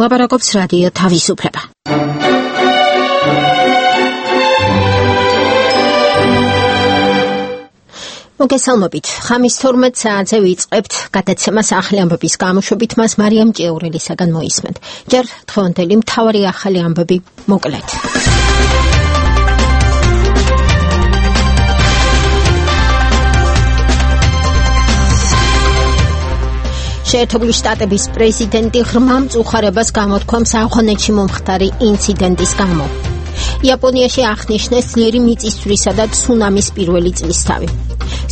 ლაპარაკობს რადიო თავისუფლება. მოგესალმებით. ხამის 12 საათზე ვიწყებთ გადაცემას ახალი ამბების გამოშვებით. მას მარიამ ჭიაურელისაგან მოისმენთ. ჯერ დღევანდელი მთავარი ახალი ამბები მოკლედ. შეერთებული შტატების პრეზიდენტი ღრმა მწუხარებას გამოთქვამს ავღანეთში მომხდარი ინციდენტის გამო. იაპონიაში აღნიშნეს ძლიერი მიწისძვრისა და ცუნამის პირველი წლისთავი.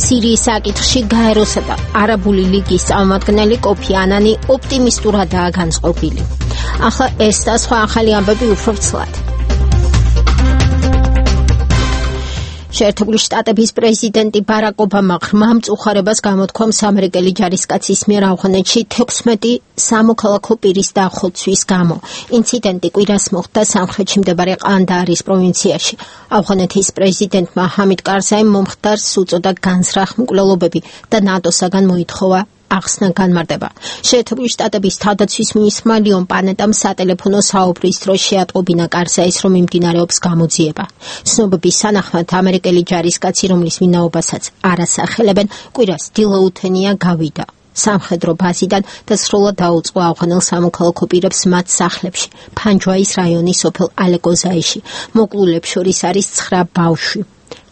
სირიის საკითხში გაეროსა და არაბული ლიგის წარმომადგენელი კოფი ანანი ოპტიმისტურადაა განწყობილი. ახლა ეს და სხვა ახალი ამბები უფრო ცლად. შეერთებული შტატების პრეზიდენტი ბარაკ ობამა ღრმა მწუხარებას გამოთქვამს ამერიკელი ჯარისკაცის მიერ ავღანეთში 16 სამოქალაქო პირის დახოცვის გამო. ინციდენტი კვირას მოხდა სამხრეთში მდებარე ყანდაარის პროვინციაში. ავღანეთის პრეზიდენტმა ჰამიდ კარზაიმ მომხდარს უწოდა განზრახ მკვლელობები და ნატოსაგან მოითხოვა ახსნა განმარტება. შეერთებული შტატების თავდაცვის მინისტრმა ლიონ პანეტამ სატელეფონო საუბრის დროს შეატყობინა კარზაის, რომ მიმდინარეობს გამოძიება. ცნობების თანახმად ამერიკელი ჯარისკაცი, რომლის ვინაობასაც არ ასახელებენ, კვირას დილაუთენია გავიდა სამხედრო ბაზიდან და სრულად დაუწყო ავღანელ სამოქალაქო პირებს მათ სახლებში, ფანჯვაის რაიონის სოფელ ალეკოზაიში. მოკლულებს შორის არის 9 ბავშვი.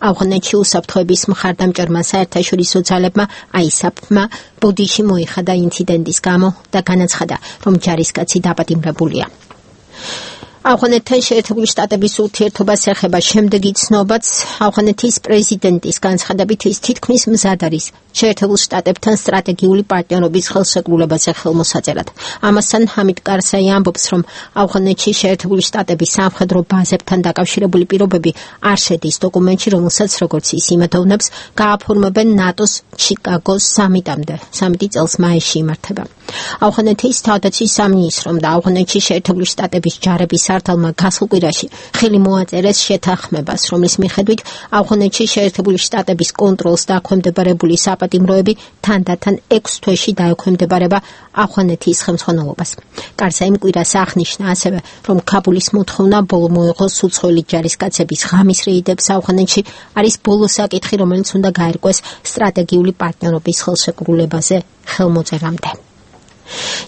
ავღანეთში უსაფრთხოების მხარდამჭერმა საერთაშორისო ძალებმა აისაფმა ბოდიში მოიხადა ინციდენტის გამო და განაცხადა, რომ ჯარისკაცი დაპატიმრებულია. ავღანეთთან შეერთებული შტატების ურთიერთობას ეხება შემდეგი ცნობაც. ავღანეთის პრეზიდენტის განცხადებით ის თითქმის მზად არის შეერთებულ შტატებთან სტრატეგიული პარტნიორობის ხელშეკრულებაზე ხელმოსაწერად. ამასთან ჰამიდ კარზაი ამბობს, რომ ავღანეთში შეერთებული შტატების სამხედრო ბაზებთან დაკავშირებული პირობები არ შედის დოკუმენტში, რომელსაც როგორც ის იმედოვნებს, გააფორმებენ ნატოს ჩიკაგოს სამიტამდე. სამიტი წელს მაისში იმართება. ავღანეთის თავდაცვის სამინისტრომ და ავღანეთში შეერთებული შტატების ჯარების სართალმა გასულ კვირაში ხელი მოაწერეს შეთანხმებას, რომლის მიხედვით ავღანეთში შეერთებული შტატების კონტროლს დაქვემდებარებული საპატიმროები თანდათან 6 თვეში დაექვემდებარება ავღანეთის ხელმძღვანელობას. კარზაიმ კვირას აღნიშნა ასევე, რომ ქაბულის მოთხოვნა ბოლო მოეღოს უცხოელი ჯარისკაცების ღამის რეიდებს ავღანეთში არის ბოლო საკითხი, რომელიც უნდა გაერკვეს სტრატეგიული პარტნიორობის ხელშეკრულებაზე ხელმოწერამდე.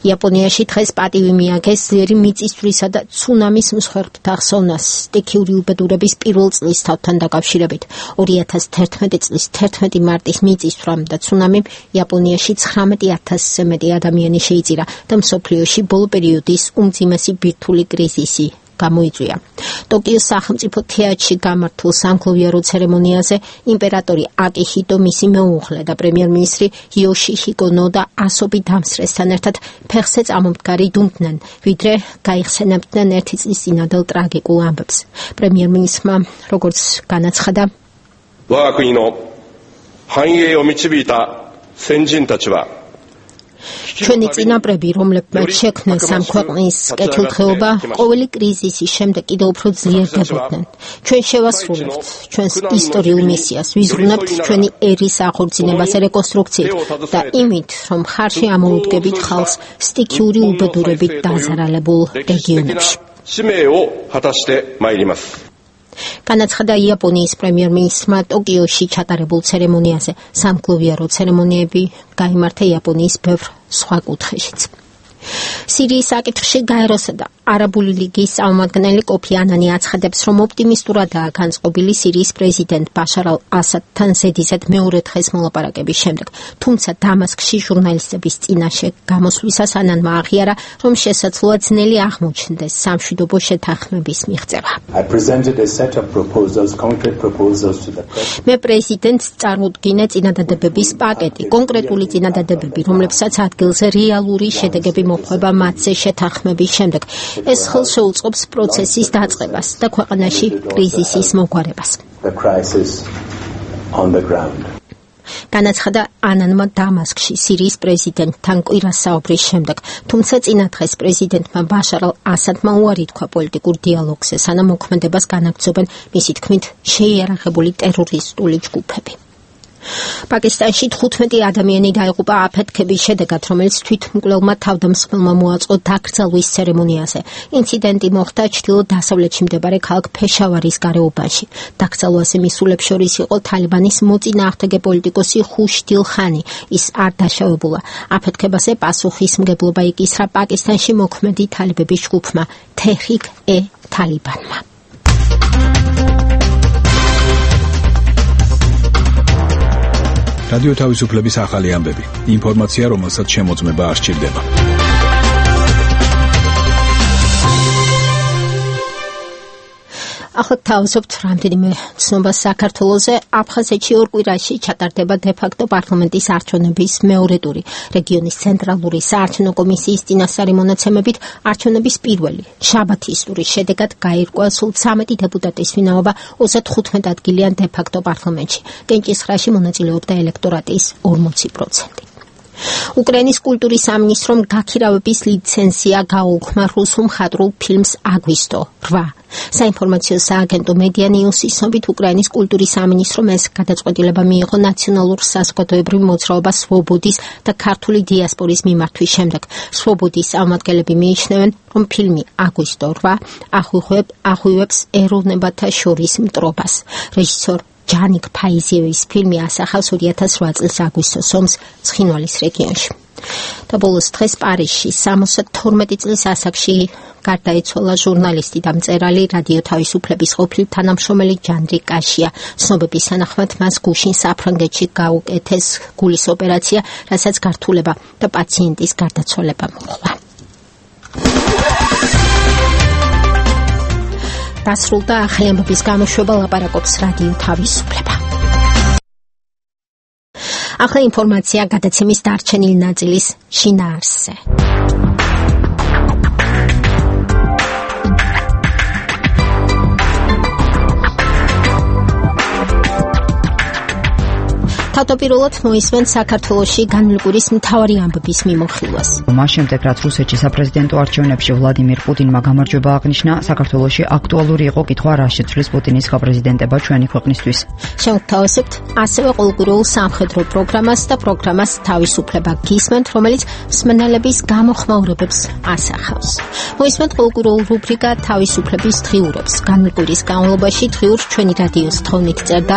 იაპონიაში დღეს პატივი მიაგეს ძლიერი მიწისძვრისა და ცუნამის მსხვერპლთა ხსოვნას სტიქიური უბედურების პირველ წლისთავთან დაკავშირებით. 2011 წლის 11 მარტის მიწისძვრამ და ცუნამიმ იაპონიაში 19,000-ზე მეტი ადამიანი შეიწირა და მსოფლიოში ბოლო პერიოდის უმძიმესი ბირთვული კრიზისი გამოიწვია. ტოკიოს სახელმწიფო თეატრში გამართულ სამგლოვიარო ცერემონიაზე იმპერატორი აკიჰიტო, მისი მეუღლე და პრემიერ-მინისტრი იოშიჰიკო ნოდა ასობით დამსწრესთან ერთად ფეხზე წამომდგარი დუმდნენ, ვიდრე გაიხსენებდნენ ერთი წლის წინადელ ტრაგიკულ ამბებს. პრემიერ-მინისტრმა, როგორც განაცხადა, ვაგაკუნო ჰანიეო მიჩიბიტა სენჯინტაჩვა ჩვენი წინაპრები, რომლებმაც შექმნეს ამ ქვეყნის კეთილდღეობა, ყოველი კრიზისის შემდეგ კიდევ უფრო ძლიერდებოდნენ. ჩვენ შევასრულებთ ჩვენს ისტორიულ მისიას, ვიზრუნებთ ჩვენი ერის აღორძინებას რეკონსტრუქციით და იმით, რომ ხარში ამოუდგებით ხალხს სტიქიური უბედურებით დაზარალებულ რეგიონებში. განაცხადა იაპონიის პრემიერ-მინისტრმა ტოკიოში ჩატარებულ ცერემონიაზე. სამგლოვიარო ცერემონიები გაიმართა იაპონიის ბევრ სხვა კუთხეშიც. სირიის საკითხში გაეროსა და არაბული ლიგის წარმომადგენელი კოფი ანანი აცხადებს, რომ ოპტიმისტურადაა განწყობილი სირიის პრეზიდენტ ბაშარ ალ-ასადთან ზედიზედ მეორე დღეს მოლაპარაკების შემდეგ. თუმცა დამასკში ჟურნალისტების წინაშე გამოსვლისას ანანმა აღიარა, რომ შესაძლოა ძნელი აღმოჩნდეს სამშვიდობო შეთანხმების მიღწევა. მე პრეზიდენტს წარმოუდგინე წინადადებების პაკეტი, კონკრეტული წინადადებები, რომლებსაც ადგილზე რეალური შედეგები მოხვება მათზე შეთანხმების შემდეგ. ეს ხელს შეუწყობს პროცესის დაწყებას და ქვეყანაში კრიზისის მოგვარებას. განაცხადა ანანმა დამასკში სირიის პრეზიდენტთან კვირას საუბრის შემდეგ, თუმცა წინა დღეს პრეზიდენტმა ბაშარ ალ-ასადმა უარი თქვა პოლიტიკურ დიალოგზე, სანამ მოქმედებას განაგრძობენ მისი თქმით შეიარაღებული ტერორისტული ჯგუფები. პაკისტანში 15 ადამიანი დაიღუპა აფეთქების შედეგად, რომელიც თვითმკვლელმა თავდამსხმელმა მოაწყო დაკრძალვის ცერემონიაზე. ინციდენტი მოხდა ჩრდილო-დასავლეთში მდებარე ქალაქ ფეშავარის გარეუბანში. დაკრძალვაზე მისულებს შორის იყო თალიბანის მოწინააღმდეგე პოლიტიკოსი ხუშდილ ხანი. ის არ დაშავებულა. აფეთქებაზე პასუხისმგებლობა იკისრა პაკისტანში მოქმედი თალიბების ჯგუფმა თეჰრიკ-ე-თალიბანმა. რადიო თავისუფლების ახალი ამბები. ინფორმაცია, რომელსაც შემოწმება არ სჭირდება. ახლა თავისუფლად რამდენიმე ცნობა საქართველოზე. აფხაზეთში ორ კვირაში ჩატარდება დე-ფაქტო პარლამენტის არჩევნების მეორე ტური. რეგიონის ცენტრალური საარჩევნო კომისიის წინასწარი მონაცემებით არჩევნების პირველი შაბათის ტურის შედეგად გაირკვა სულ 13 დეპუტატის ვინაობა 35 ადგილიან დე-ფაქტო პარლამენტში. კენჭისხრაში მონაწილეობდა ელექტორატის 40%. უკრაინის კულტურის სამინისტრომ გაქირავების ლიცენზია გაუქმნა რუსულ მხატვრულ ფილმს აგვისტო 8. საინფორმაციო სააგენტო მედია ნიუსის ცნობით უკრაინის კულტურის სამინისტრომ ეს გადაწყვეტილება მიიღო ნაციონალურ საზოგადოებრივ მოძრაობას სვობოდის და ქართული დიასპორის მიმართვის შემდეგ. სვობოდის წარმომადგენლები მიიჩნევენ, რომ ფილმი აგვისტო 8 ახღვივებს ეროვნებათა შორის მტრობას. რეჟისორ ჯანიკ ფაიზიევის ფილმი ასახავს 2008 წლის აგვისტოს ომს ცხინვალის რეგიონში. და ბოლოს დღეს პარიზში 72 წლის ასაკში გარდაიცვალა ჟურნალისტი და მწერალი რადიო თავისუფლების ყოფილი თანამშრომელი ჯანდრი კაშია. ცნობების თანახმად მას გუშინ საფრანგეთში გაუკეთეს გულის ოპერაცია, რასაც გართულება და პაციენტის გარდაცვალება მოჰყვა. დასრულდა ახალი ამბების გამოშვება, ლაპარაკობს რადიო თავისუფლება. ახლა ინფორმაცია გადაცემის დარჩენილი ნაწილის შინაარსზე. თავდაპირველად მოისმენთ საქართველოში განმლკურის მთავარი ამბების მიმოხილვას. მას შემდეგ, რაც რუსეთში საპრეზიდენტო არჩევნებში ვლადიმირ პუტინმა გამარჯვება აღნიშნა, საქართველოში აქტუალური იყო კითხვა, რა შეცვლის პუტინის გაპრეზიდენტება ჩვენი ქვეყნისთვის. შევთავაზებთ ასევე ყოველკვირეულ სამხედრო პროგრამას და პროგრამას თავისუფლება გისმენთ, რომელიც მსმენელების გამოხმაურებებს ასახავს. მოისმენთ ყოველკვირეულ რუბრიკა თავისუფლების დღიურებს. განმლკურის განმავლობაში დღიურს ჩვენი რადიოს თხოვნით წერდა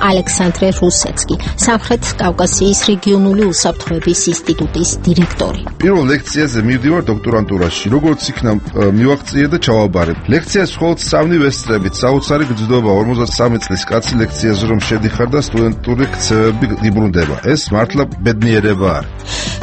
ალექსანდრე რუსეცკი, სამხრეთ კავკასიის რეგიონული უსაფრთხოების ინსტიტუტის დირექტორი. პირველ ლექციაზე მივდივარ დოქტორანტურაში. როგორც იქნა მივაღწიე და ჩავაბარე. ლექციას მხოლოდ 3 ვესწრებით, საოცარი გრძნობა 53 წლის კაცი ლექციაზე რომ შედიხარ და სტუდენტური ქცევები იბრუნდება. ეს მართლა ბედნიერება არ.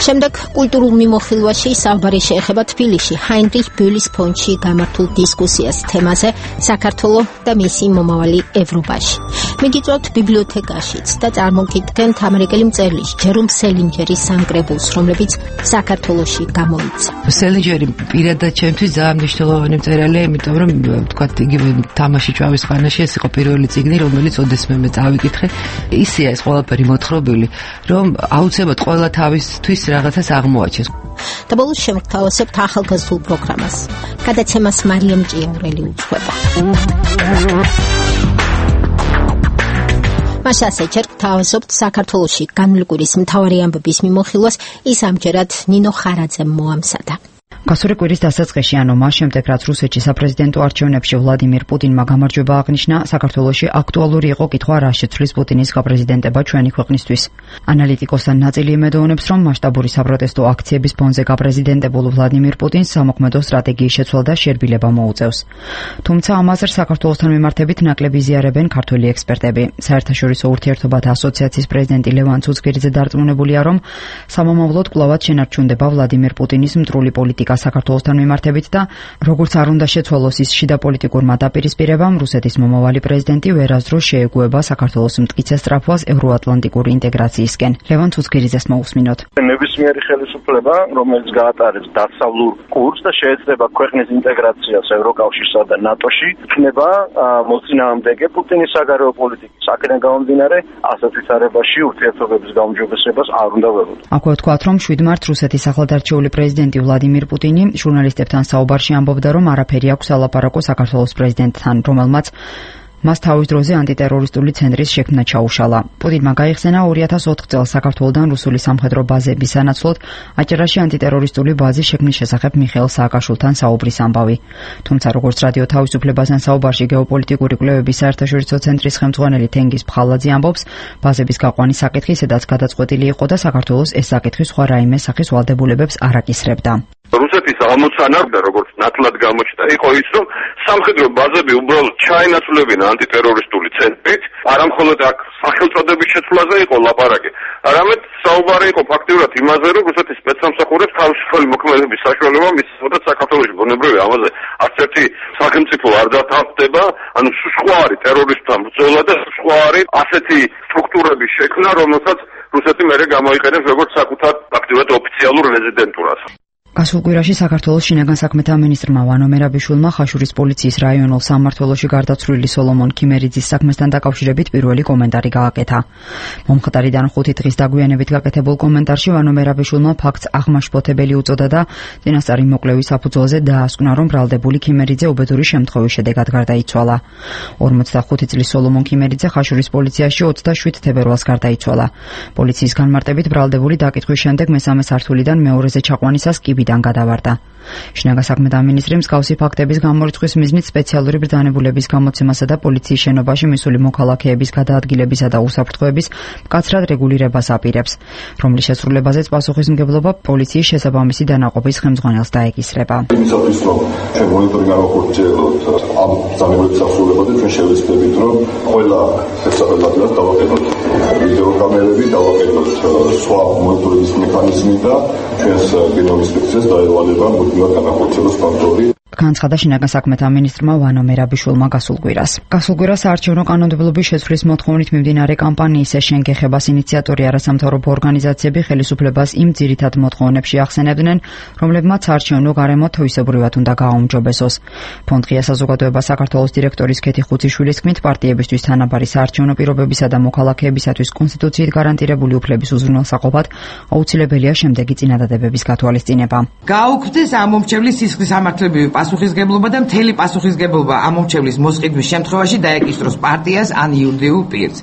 შემდეგ კულტურულ მიმოხილვაში საუბარი შეეხება თბილისში ჰაინრიხ ბოლის ფონდში გამართულ დისკუსიას თემაზე საქართველო და მისი მომავალი ევროპაში. მიგიწვევთ ბიბლიოთეკაშიც და წარმოგიდგენთ ამერიკელი მწერლის ჯერომ სელინჯერის სამკრებულს, რომლებიც საქართველოში გამოიცა. სელინჯერი პირადად ჩემთვის ძალიან მნიშვნელოვანი მწერალია, იმიტომ რომ თქვათ იგივე თამაში ჭავის ხანაში ეს იყო პირველი წიგნი, რომელიც ოდესმე მე წავიკითხე. ისია ეს ყველაფერი მოთხრობილი, რომ აუცილებლად ყველა თავისთვის რაღაცას აღმოაჩენს. და ბოლოს შევთავაზებთ ახალგაზრდულ პროგრამას. გადაცემას მარიამ ჭიაურელი უძღვება. მას ასეჩერგ თავაზობთ საქართველოში განმლკურის მთავარი ამბების მიმოხილვას, ის ამჯერად ნინო ხარაძემ მოამზადა. გასული კვირის დასაწყისში, ანუ მას შემდეგ, რაც რუსეთში საპრეზიდენტო არჩევნებში ვლადიმირ პუტინმა გამარჯვება აღნიშნა, საქართველოში აქტუალური იყო კითხვა, რა შეცვლის პუტინის გაპრეზიდენტება ჩვენი ქვეყნისთვის. ანალიტიკოსთან ნაწილი იმედოვნებს, რომ მასშტაბური საპროტესტო აქციების ფონზე გაპრეზიდენტებულ ვლადიმირ პუტინს სამოქმედო სტრატეგიის შეცვლა და შერბილება მოუწევს. თუმცა ამაზე საქართველოსთან მიმართებით ნაკლები იზიარებენ ქართველი ექსპერტები. საერთაშორისო ურთიერთობათა ასოციაციის პრეზიდენტი ლევან ცუცქირიძე დარწმუნებულია, რომ სამომავლოდ კვლავად შენარჩუნდება ვლადიმირ პუტინის მტრული პოლიტიკა საქართველოსთან მიმართებით და როგორც არ უნდა შეცვალოს ის შიდა პოლიტიკურმა დაპირისპირებამ, რუსეთის მომავალი პრეზიდენტი ვერასდროს შეეგუება საქართველოს მტკიცე სწრაფვას ევროატლანტიკური ინტეგრაციისკენ. ლევან ცუცქირიძეს მოусმინოთ. ნებისმიერი ხელისუფლება, რომელიც გაატარებს დასავლურ კურსს და შეეცდება ქვეყნის ინტეგრაციას ევროკავშირსა და ნატოში, იქნება მოწინააღმდეგე პუტინის საგარეო პოლიტიკის. აქედან გამომდინარე, ასეთ ვითარებაში ურთიერთობების გაუმჯობესებას არ უნდა ველოდოთ. აქვე ვთქვათ, რომ 7 მარტს რუსეთის ახლადარჩეული პრეზიდენტი ვლადიმირ პუტინი ჟურნალისტებთან საუბარში ამბობდა, რომ არაფერი აქვს ალაპარაკო საქართველოს პრეზიდენტთან, რომელმაც მას თავის დროზე ანტიტერორისტული ცენტრის შექმნა ჩაუშალა. პუტინმა გაიხსენა 2004 წელს საქართველოდან რუსული სამხედრო ბაზების სანაცვლოდ აჭარაში ანტიტერორისტული ბაზის შექმნის შესახებ მიხეილ სააკაშვილთან საუბრის ამბავი. თუმცა როგორც რადიო თავისუფლებასთან საუბარში გეოპოლიტიკური კვლევების საერთაშორისო ცენტრის ხელმძღვანელი თენგიზ ფხალაძე ამბობს, ბაზების გაყვანის საკითხი სადაც გადაწყვეტილი იყო და საქართველოს ეს საკითხი სხვა რაიმე სახის ვალდებულებებს არ აკისრებდა. რუსეთის ამოცანა, როგორც ნათლად გამოჩნდა, იყო ის, რომ სამხედრო ბაზები უბრალოდ ჩაენაცვლებინა ანტიტერორისტული ცენტრით, არამხოლოდ აქ სახელწოდების შეცვლაზე იყო ლაპარაკი, არამედ საუბარი იყო ფაქტიურად იმაზე, რომ რუსეთის სპეცსამსახურებს თავისუფალი მოქმედების საშუალება მისცემოდა საქართველოში. ბუნებრივია, ამაზე არც ერთი სახელმწიფო არ დათანხმდება, ანუ სხვა არის ტერორისტთან ბრძოლა და სხვა არის ასეთი სტრუქტურების შექმნა, რომელსაც რუსეთი მერე გამოიყენებს როგორც საკუთარ ფაქტიურად ოფიციალურ რეზიდენტურას. გასულ კვირაში საქართველოს შინაგან საქმეთა მინისტრმა ვანო მერაბიშვილმა ხაშურის პოლიციის რაიონულ სამმართველოში გარდაცვლილი სოლომონ ქიმერიძის საქმესთან დაკავშირებით პირველი კომენტარი გააკეთა. მომხდარიდან 5 დღის დაგვიანებით გაკეთებულ კომენტარში ვანო მერაბიშვილმა ფაქტს აღმაშფოთებელი უწოდა და წინასწარი მოკვლევის საფუძველზე დაასკვნა, რომ ბრალდებული ქიმერიძე უბედური შემთხვევის შედეგად გარდაიცვალა. 45 წლის სოლომონ ქიმერიძე ხაშურის პოლიციაში 27 თებერვალს გარდაიცვალა. პოლიციის განმარტებით ბრალდებული დაკითხვის შემდეგ მესამე სართულიდან მეორეზე ჩაყვანისას კიბიდან გადავარდა. შინაგან საქმეთა მინისტრი მსგავსი ფაქტების გამორიცხვის მიზნით სპეციალური ბრძანებულების გამოცემასა და პოლიციის შენობაში მისული მოქალაქეების გადაადგილებისა და უსაფრთხოების მკაცრად რეგულირებას აპირებს, რომლის შესრულებაზეც პასუხისმგებლობა პოლიციის შესაბამისი დანაყოფის ხელმძღვანელს დაეკისრება. იმისათვის, რომ ჩვენ მონიტორინგი გავახორციელოთ ამ ბრძანებულების დასრულებაზე, ჩვენ შევეცდებით, რომ ყველა შესაძლებლად დავაკეთოთ ვიდეო კამერები, დავაკეთოთ სხვა მონიტორინგის მექანიზმი და ჩვენს გენომის ინსპექციას დაევალება მუდმივად განახორციელოს კონტროლი. განცხადა შინაგან საქმეთა მინისტრმა ვანო მერაბიშვილმა გასულ კვირას. გასულ კვირას საარჩევნო კანონმდებლობის შეცვლის მოთხოვნით მიმდინარე კამპანიის შენ გეხებას ინიციატორი არასამთავრობო ორგანიზაციები ხელისუფლებას იმ ძირითად მოთხოვნებში ახსენებდნენ, რომლებმაც საარჩევნო გარემო თვისებრივად უნდა გააუმჯობესოს. ფონდ ღია საზოგადოება საქართველოს დირექტორის ქეთი ხუციშვილის თქმით, პარტიებისთვის თანაბარი საარჩევნო პირობებისა და მოქალაქეებისათვის კონსტიტუციით გარანტირებული უფლების უზრუნველსაყოფად აუცილებელია შემდეგი წინადადებების გათვალისწინება. გაუქმდეს ამომრჩევლის სისხლის სამართლებრივი პასუხისგებლობა და მთელი პასუხისგებლობა ამომრჩევლის მოსყიდვის შემთხვევაში დაეკისროს პარტიას ან იურიდიულ პირს.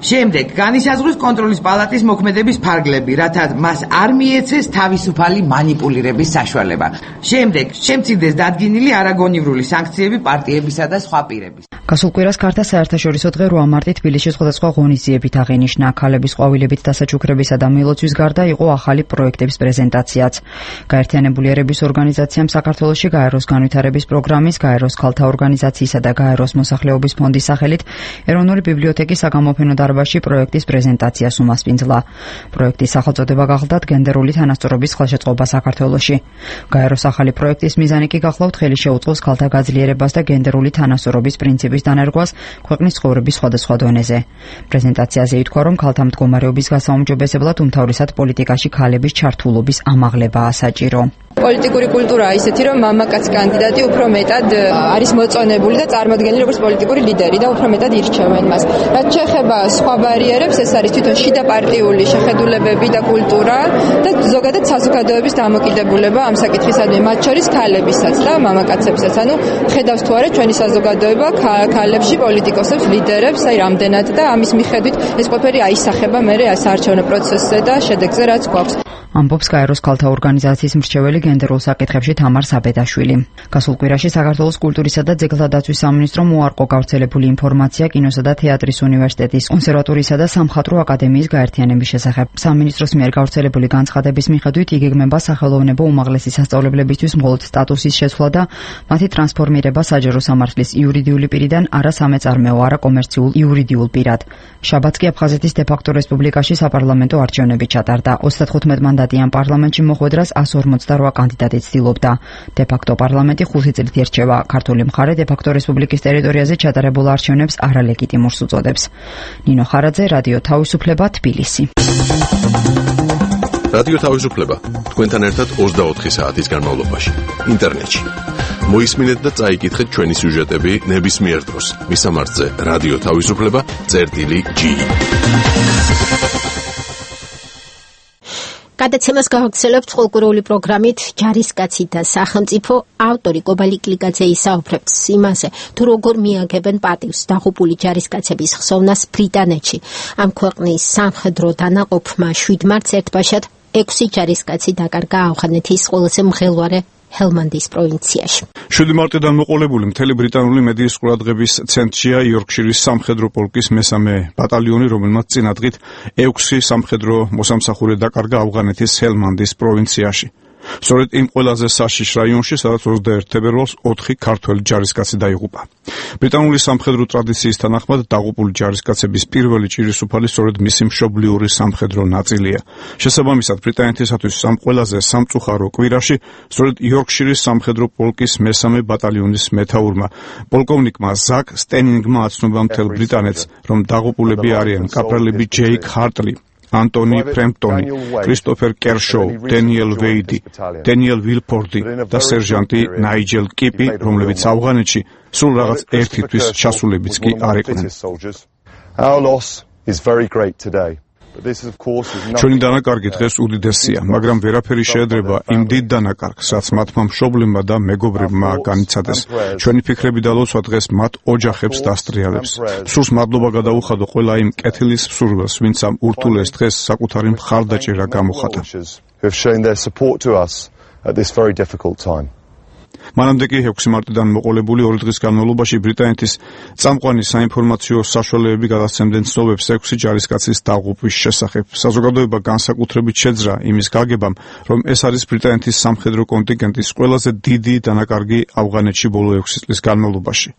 შემდეგ განისაზღვროს კონტროლის პალატის მოქმედების ფარგლები, რათა მას არ მიეცეს თავისუფალი მანიპულირების საშუალება. შემდეგ შემცირდეს დადგინილი არაგონივრული სანქციები პარტიებისა და სხვა პირების. გასულ კვირას ქართა საერთაშორისო დღე 8 მარტი თბილისში სხვადასხვა ღონისძიებით აღინიშნა. ქალების ყვავილებით დასაჩუქრებისა და მილოცვის გარდა იყო ახალი პროექტების პრეზენტაციაც. გაერთიანებული ერების ორგანიზაციამ საქართველოში გაეროს განვითარების პროგრამის, გაეროს ქალთა ორგანიზაციისა და გაეროს მოსახლეობის ფონდის სახელით ეროვნული ბიბლიოთეკის საგამოფენო დარბაზში პროექტის პრეზენტაციას უმასპინძლა. პროექტის სახელწოდება გახლდათ გენდერული თანასწორობის ხელშეწყობა საქართველოში. გაეროს ახალი პროექტის მიზანი კი გახლავთ ხელი შეუწყოს ქალთა გაძლიერებას და გენდერული თანასწორობის პრინციპის დანერგვას ქვეყნის ცხოვრების სხვადასხვა დონეზე. პრეზენტაციაზე ითქვა, რომ ქალთა მდგომარეობის გასაუმჯობესებლად უმთავრესად პოლიტიკაში ქალების ჩართულობის ამაღლებაა საჭირო. პოლიტიკური კულტურაა ისეთი, რომ მამაკაც კანდიდატი უფრო მეტად არის მოწონებული და წარმოადგენილი როგორც პოლიტიკური ლიდერი და უფრო მეტად ირჩევენ მას. რაც შეეხება სხვა ბარიერებს, ეს არის თვითონ შიდა პარტიული შეხედულებები და კულტურა და ზოგადად საზოგადოების დამოკიდებულება ამ საკითხისადმი, მათ შორის ქალებისაც და მამაკაცებსაც. ანუ ხედავს თუ არა ჩვენი საზოგადოება ქალებში პოლიტიკოსებს, ლიდერებს, აი რამდენად და ამის მიხედვით ეს ყველაფერი აისახება მერე საარჩევნო პროცესზე და შედეგზე რაც გვაქვს. ამბობს გაეროს ქალთა ორგანიზაციის მრჩეველი გენდერულ საკითხებში თამარ საბედაშვილი. გასულ კვირაში საქართველოს კულტურისა და ძეგლთა დაცვის სამინისტრომ უარყო გავრცელებული ინფორმაცია კინოსა და თეატრის უნივერსიტეტის, კონსერვატორიისა და სამხატვრო აკადემიის გაერთიანების შესახებ. სამინისტროს მიერ გავრცელებული განცხადების მიხედვით იგეგმება სახელოვნებო უმაღლესი სასწავლებლებისთვის მხოლოდ სტატუსის შეცვლა და მათი ტრანსფორმირება საჯარო სამართლის იურიდიული პირიდან არასამეწარმეო, არაკომერციულ იურიდიულ პირად. შაბათს კი აფხაზეთის დე-ფაქტო რესპუბლიკაში საპარლამენტო არჩევნები ჩატარდა. 35 მანდატიან პარლამენტში მოხვედრას 148 კანდიდატი ცდილობდა. დე-ფაქტო პარლამენტი 5 წლით ირჩევა. ქართული მხარე დე-ფაქტო რესპუბლიკის ტერიტორიაზე ჩატარებულ არჩევნებს არალეგიტიმურს უწოდებს. ნინო ხარაძე, რადიო თავისუფლება, თბილისი. რადიო თავისუფლება თქვენთან ერთად 24 საათის განმავლობაში ინტერნეტში. მოისმინეთ და წაიკითხეთ ჩვენი სიუჟეტები ნებისმიერ დროს. მისამართზე რადიო თავისუფლება.gi გადაცემას გავაგრძელებთ ყოველკვირეული პროგრამით ჯარისკაცი და სახელმწიფო. ავტორი კობალი კლიკაძე ისაუბრებს იმაზე, თუ როგორ მიაგებენ პატივს დაღუპული ჯარისკაცების ხსოვნას ბრიტანეთში. ამ ქვეყნის სამხედრო დანაყოფმა 7 მარტს ერთბაშად 6 ჯარისკაცი დაკარგა ავღანეთის ყველაზე მღელვარე ჰელმანდის პროვინციაში. 7 მარტიდან მოყოლებული მთელი ბრიტანული მედიის ყურადღების ცენტრშია იორკშირის სამხედრო პოლკის მესამე ბატალიონი, რომელმაც წინადღით 6 სამხედრო მოსამსახურე დაკარგა ავღანეთის ჰელმანდის პროვინციაში. სწორედ იმ ყველაზე საშიშ რაიონში, სადაც 21 თებერვალს 4 ქართველი ჯარისკაცი დაიღუპა. ბრიტანული სამხედრო ტრადიციის თანახმად დაღუპული ჯარისკაცების პირველი ჭირისუფალი სწორედ მისი მშობლიური სამხედრო ნაწილია. შესაბამისად, ბრიტანეთისათვის ამ ყველაზე სამწუხარო კვირაში სწორედ იორკშირის სამხედრო პოლკის მესამე ბატალიონის მეთაურმა, პოლკოვნიკმა ზაკ სტენინგმა აცნობა მთელ ბრიტანეთს, რომ დაღუპულები არიან კაპრალები ჯეიკ ჰარტლი, ანტონი ფრემპტონი, კრისტოფერ კერშოუ, დენიელ ვეიდი, დენიელ ვილფორდი და სერჟანტი ნაიჯელ კიპი, რომლებიც ავღანეთში სულ რაღაც ერთი თვის ჩასულებიც კი არ იყვნენ. ჩვენი დანაკარგი დღეს უდიდესია, მაგრამ ვერაფერი შეედრება იმ დიდ დანაკარგს, რაც მათმა მშობლებმა და მეგობრებმა განიცადეს. ჩვენი ფიქრები და ლოცვა დღეს მათ ოჯახებს დასტრიალებს. სულს მადლობა გადაუხადო ყველა იმ კეთილის მსურველს, ვინც ამ ურთულეს დღეს საკუთარი მხარდაჭერა გამოხატა. მანამდე კი 6 მარტიდან მოყოლებული 2 დღის განმავლობაში ბრიტანეთის წამყვანი საინფორმაციო საშუალებები გადასცემდნენ ცნობებს 6 ჯარისკაცის დაღუპვის შესახებ. საზოგადოება განსაკუთრებით შეძრა იმის გაგებამ, რომ ეს არის ბრიტანეთის სამხედრო კონტინგენტის ყველაზე დიდი დანაკარგი ავღანეთში ბოლო 6 წლის განმავლობაში.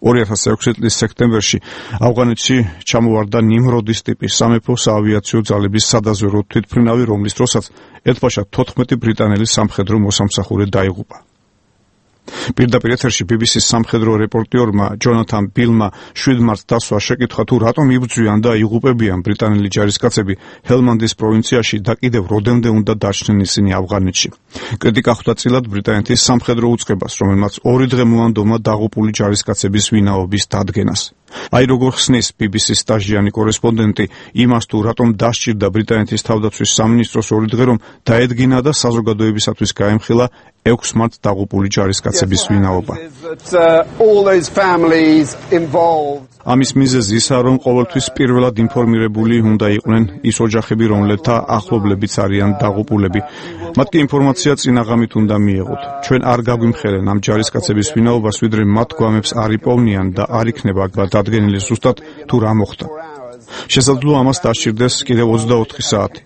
2006 წლის სექტემბერში ავღანეთში ჩამოვარდა ნიმროდის ტიპის სამეფო საავიაციო ძალების სადაზვერვო თვითმფრინავი, რომლის დროსაც ერთბაშად 14 ბრიტანელი სამხედრო მოსამსახურე დაიღუპა. პირდაპირ ეთერში BBC-ს სამხედრო რეპორტიორმა ჯონათან ბილმა 7 მარტს დასვა შეკითხა, თუ რატომ იბრძვიან და იღუპებიან ბრიტანელი ჯარისკაცები ჰელმანდის პროვინციაში და კიდევ როდემდე უნდა დაჩნენ ისინი ავღანეთში. კრიტიკა ხვდა წილად ბრიტანეთის სამხედრო უწყებას, რომელმაც 2 დღე მოანდომა დაღუპული ჯარისკაცების ვინაობის დადგენას. აი როგორ ხსნის BBC-ს სტაჟიანი კორესპონდენტი იმას, თუ რატომ დასჭირდა ბრიტანეთის თავდაცვის სამინისტროს 2 დღე, რომ დაედგინა და საზოგადოებისათვის გაემხილა 6 მარტს დაღუპული ჯარისკაცების ვინაობა. ამის მიზეზი ისაა, რომ ყოველთვის პირველად ინფორმირებული უნდა იყვნენ ის ოჯახები, რომლებთა ახლობლებიც არიან დაღუპულები. მათ კი ინფორმაცია წინაღამით უნდა მიეღოთ. ჩვენ არ გაგვიმხელენ ამ ჯარისკაცების ვინაობას, ვიდრე მათ გვამებს არ იპოვნიან და არ იქნება დადგენილი ზუსტად თუ რა მოხდა. შესაძლოა ამას დასჭირდეს კიდევ 24 საათი.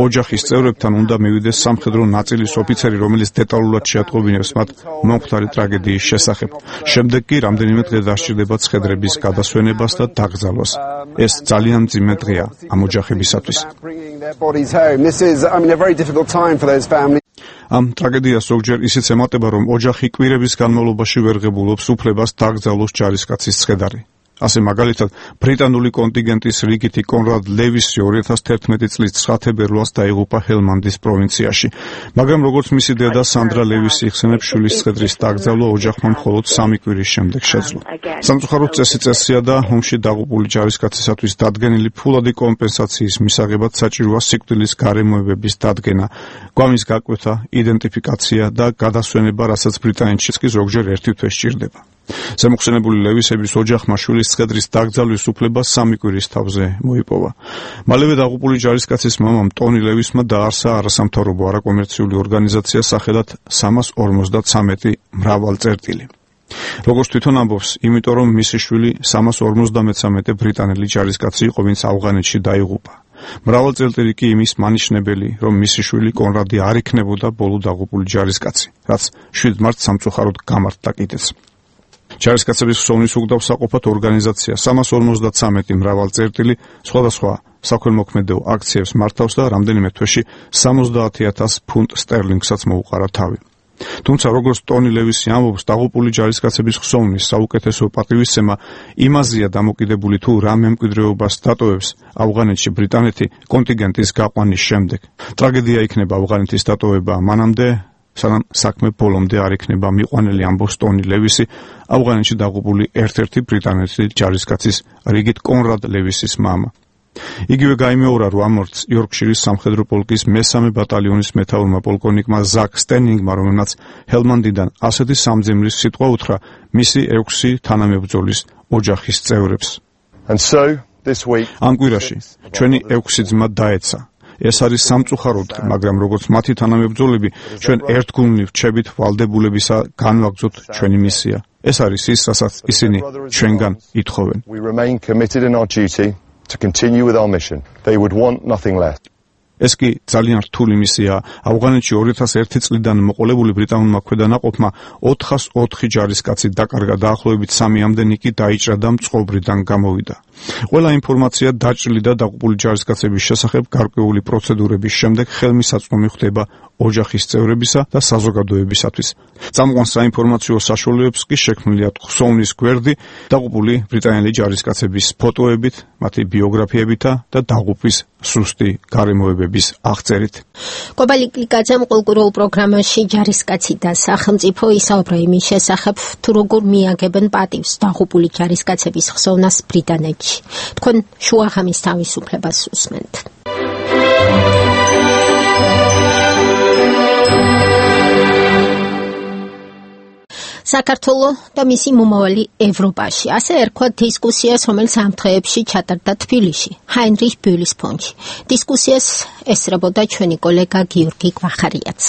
ოჯახის წევრებთან უნდა მივიდეს სამხედრო ნაწილის ოფიცერი, რომელიც დეტალურად შეატყობინებს მათ მომხდარი ტრაგედიის შესახებ. შემდეგ კი რამდენიმე დღე დასჭირდება ცხედრების გადასვენებას და დაკრძალვას. ეს ძალიან მძიმე დღეა ამ ოჯახებისათვის. ამ ტრაგედიას ზოგჯერ ისიც ემატება, რომ ოჯახი კვირების განმავლობაში ვერ ღებულობს უფლებას დაკრძალოს ჯარისკაცის ცხედარი. ასე მაგალითად, ბრიტანული კონტინგენტის რიგითი კონრად ლევისი 2011 წლის 9 თებერვალს დაიღუპა ჰელმანდის პროვინციაში. მაგრამ როგორც მისი დედა სანდრა ლევისი იხსენებს, შვილის ცხედრის დაკრძალვა ოჯახმა მხოლოდ 3 კვირის შემდეგ შეძლო. სამწუხაროდ წესია და ომში დაღუპული ჯარისკაცისათვის დადგენილი ფულადი კომპენსაციის მისაღებად საჭიროა სიკვდილის გარემოებების დადგენა, გვამის გაკვეთა, იდენტიფიკაცია და გადასვენება, რასაც ბრიტანეთშიც კი ზოგჯერ ერთი თვე სჭირდება. ზემოხსენებული ლევისების ოჯახმა შვილის ცხედრის დაკრძალვის უფლება 3 კვირის თავზე მოიპოვა. მალევე დაღუპული ჯარისკაცის მამამ ტონი ლევისმა დაარსა არასამთავრობო არაკომერციული ორგანიზაცია სახელად 353 მრავალწერტილი. როგორც თვითონ ამბობს, იმიტომ რომ მისი შვილი 353 ბრიტანელი ჯარისკაცი იყო, ვინც ავღანეთში დაიღუპა. მრავალწერტილი კი იმის მანიშნებელი, რომ მისი შვილი კონრადი არ იქნებოდა ბოლო დაღუპული ჯარისკაცი, რაც 7 მარტს სამწუხაროდ გამართდა კიდეც. ჯარისკაცების ხსოვნის უგდავსაყოფად ორგანიზაცია 353 მრავალწერტილი სხვადასხვა საქველმოქმედო აქციებს მართავს და რამდენიმე თვეში 70,000 ფუნტ სტერლინგსაც მოუყარა თავი. თუმცა როგორც ტონი ლევისი ამბობს, დაღუპული ჯარისკაცების ხსოვნის საუკეთესო პატივისცემა იმაზეა დამოკიდებული, თუ რა მემკვიდრეობას დატოვებს ავღანეთში ბრიტანეთი კონტინგენტის გაყვანის შემდეგ. ტრაგედია იქნება ავღანეთის დატოვება მანამდე, სანამ საქმე ბოლომდე არ იქნება მიყვანილი, ამბობს ტონი ლევისი, ავღანეთში დაღუპული ერთ-ერთი ბრიტანელი ჯარისკაცის რიგით კონრად ლევისის მამა. იგივე გაიმეორა 8 მარტს იორკშირის სამხედრო პოლკის მე-3 ბატალიონის მეთაურმა პოლკოვნიკმა ზაკ სტენინგმა, რომელმაც ჰელმანდიდან ასეთი სამძიმრის სიტყვა უთხრა მისი 6 თანამებრძოლის ოჯახის წევრებს. ამ კვირაში ჩვენი 6 ძმა დაეცა. ეს არის სამწუხაროდ, მაგრამ როგორც მათი თანამებრძოლები, ჩვენ ერთგულნი რჩებით ვალდებულებისა განვაგრძოთ ჩვენი მისია. ეს არის ის, რასაც ისინი ჩვენგან ითხოვენ. To continue with our mission. They would want nothing less. ეს კი ძალიან რთული მისიაა. ავღანეთში 2001 წლიდან მოყოლებული ბრიტანულმა ქვედანაყოფმა 404 ჯარისკაცი დაკარგა, დაახლოებით 3-ამდენი კი დაიჭრა და მწყობრიდან გამოვიდა. ყველა ინფორმაცია დაჭრილი და დაღუპული ჯარისკაცების შესახებ გარკვეული პროცედურების შემდეგ ხელმისაწვდომი ხდება ოჯახის წევრებისა და საზოგადოებისათვის. წამყვან საინფორმაციო საშუალებებს კი შექმნილია ხსოვნის გვერდი დაღუპული ბრიტანელი ჯარისკაცების ფოტოებით, მათი ბიოგრაფიებითა და დაღუპვის სუსტი გარემოებების აღწერით. კობალიკლიძემ კულტურულ პროგრამაში ჯარისკაცი და სახელმწიფო ისაუბრა იმის შესახებ, თუ როგორ მიაგებენ პატივს დაღუპული ჯარისკაცების ხსოვნას ბრიტანეთში. თქვენ შუაღამის თავისუფლებას უსმენთ. საქართველო და მისი მომავალი ევროპაში. ასე ერქვა დისკუსიას, რომელიც ამ დღეებში ჩატარდა თბილისში, ჰაინრიხ ბიულის ფონდში. დისკუსიას ესწრებოდა ჩვენი კოლეგა გიორგი გვახარიაც.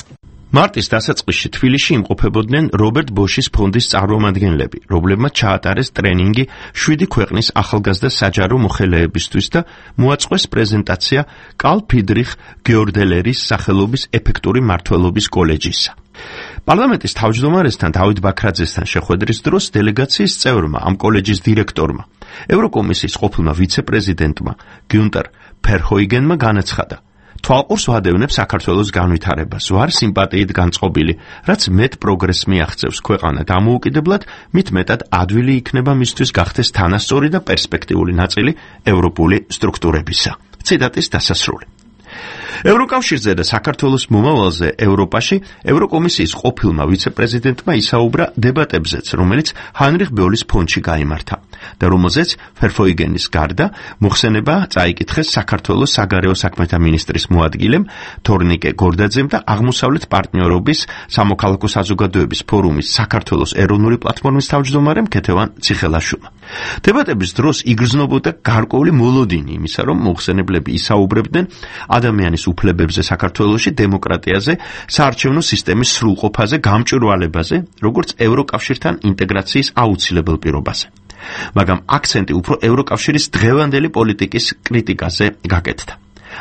მარტის დასაწყისში თბილისში იმყოფებოდნენ რობერტ ბოშის ფონდის წარმომადგენლები, რომლებმაც ჩაატარეს ტრენინგი 7 ქვეყნის ახალგაზრდა საჯარო მოხელეებისთვის და მოაწყვეს პრეზენტაცია კარლ ფრიდრიხ გიორდელერის სახელობის ეფექტური მმართველობის კოლეჯისა. პარლამენტის თავმჯდომარესთან დავით ბაქრაძესთან შეხვედრის დროს დელეგაციის წევრმა, ამ კოლეჯის დირექტორმა, ევროკომისიის ყოფილმა ვიცე-პრეზიდენტმა გიუნტერ ფერჰოიგენმა განაცხადა: თვალყურს ვადევნებ საქართველოს განვითარებას, ვარ სიმპათიით განწყობილი, რაც მეტ პროგრესს მიაღწევს ქვეყანა დამოუკიდებლად, მით მეტად ადვილი იქნება მისთვის გახდეს თანასწორი და პერსპექტიული ნაწილი ევროპული სტრუქტურებისა. ციტატის დასასრული. ევროკავშირზე და საქართველოს მომავალზე ევროპაში ევროკომისიის ყოფილმა ვიცე-პრეზიდენტმა ისაუბრა დებატებზეც, რომელიც ჰაინრიხ ბიულის ფონდში გაიმართა და რომელზეც ფერჰოიგენის გარდა მოხსენება წაიკითხეს საქართველოს საგარეო საქმეთა მინისტრის მოადგილემ თორნიკე გორდაძემ და აღმოსავლეთ პარტნიორობის სამოქალაქო საზოგადოების ფორუმის საქართველოს ეროვნული პლატფორმის თავმჯდომარემ ქეთევან ციხელაშვილმა. დებატების დროს იგრძნობოდა გარკვეული მოლოდინი იმისა, რომ მოხსენებლები ისაუბრებდნენ ადამიანის უფლებებზე საქართველოში, დემოკრატიაზე, საარჩევნო სისტემის სრულყოფაზე, გამჭვირვალებაზე, როგორც ევროკავშირთან ინტეგრაციის აუცილებელ პირობაზე. მაგრამ აქცენტი უფრო ევროკავშირის დღევანდელი პოლიტიკის კრიტიკაზე გაკეთდა.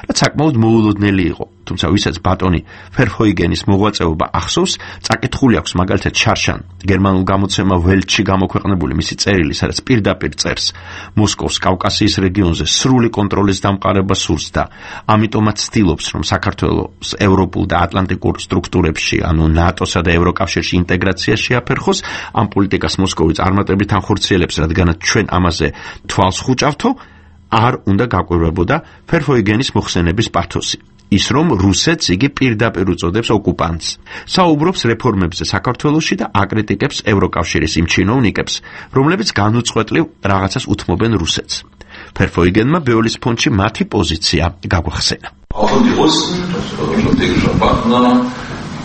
რაც საკმაოდ მოულოდნელი იყო, თუმცა ვისაც ბატონი ფერჰოიგენის მოღვაწეობა ახსოვს, წაკითხული აქვს მაგალითად შარშან გერმანულ გამოცემა ველტში გამოქვეყნებული მისი წერილი, სადაც პირდაპირ წერს მოსკოვს კავკასიის რეგიონზე სრული კონტროლის დამყარებას სურს და ამიტომაც ცდილობს, რომ საქართველოს ევროპულ და ატლანტიკურ სტრუქტურებში, ანუ ნატოსა და ევროკავშირში ინტეგრაცია შეაფერხოს. ამ პოლიტიკას მოსკოვი წარმატებით ახორციელებს, რადგანაც ჩვენ ამაზე თვალს ხუჭავთო, არ უნდა გაკვირვებოდა ფერჰოიგენის მოხსენების პათოსი. ის რომ რუსეთს იგი პირდაპირ უწოდებს ოკუპანტს. საუბრობს რეფორმებზე საქართველოში და აკრიტიკებს ევროკავშირის იმ ჩინოვნიკებს, რომლებიც განუწყვეტლივ რაღაცას უთმობენ რუსეთს. ფერჰოიგენმა ბიულის ფონდში მათი პოზიცია გაგვახსენა.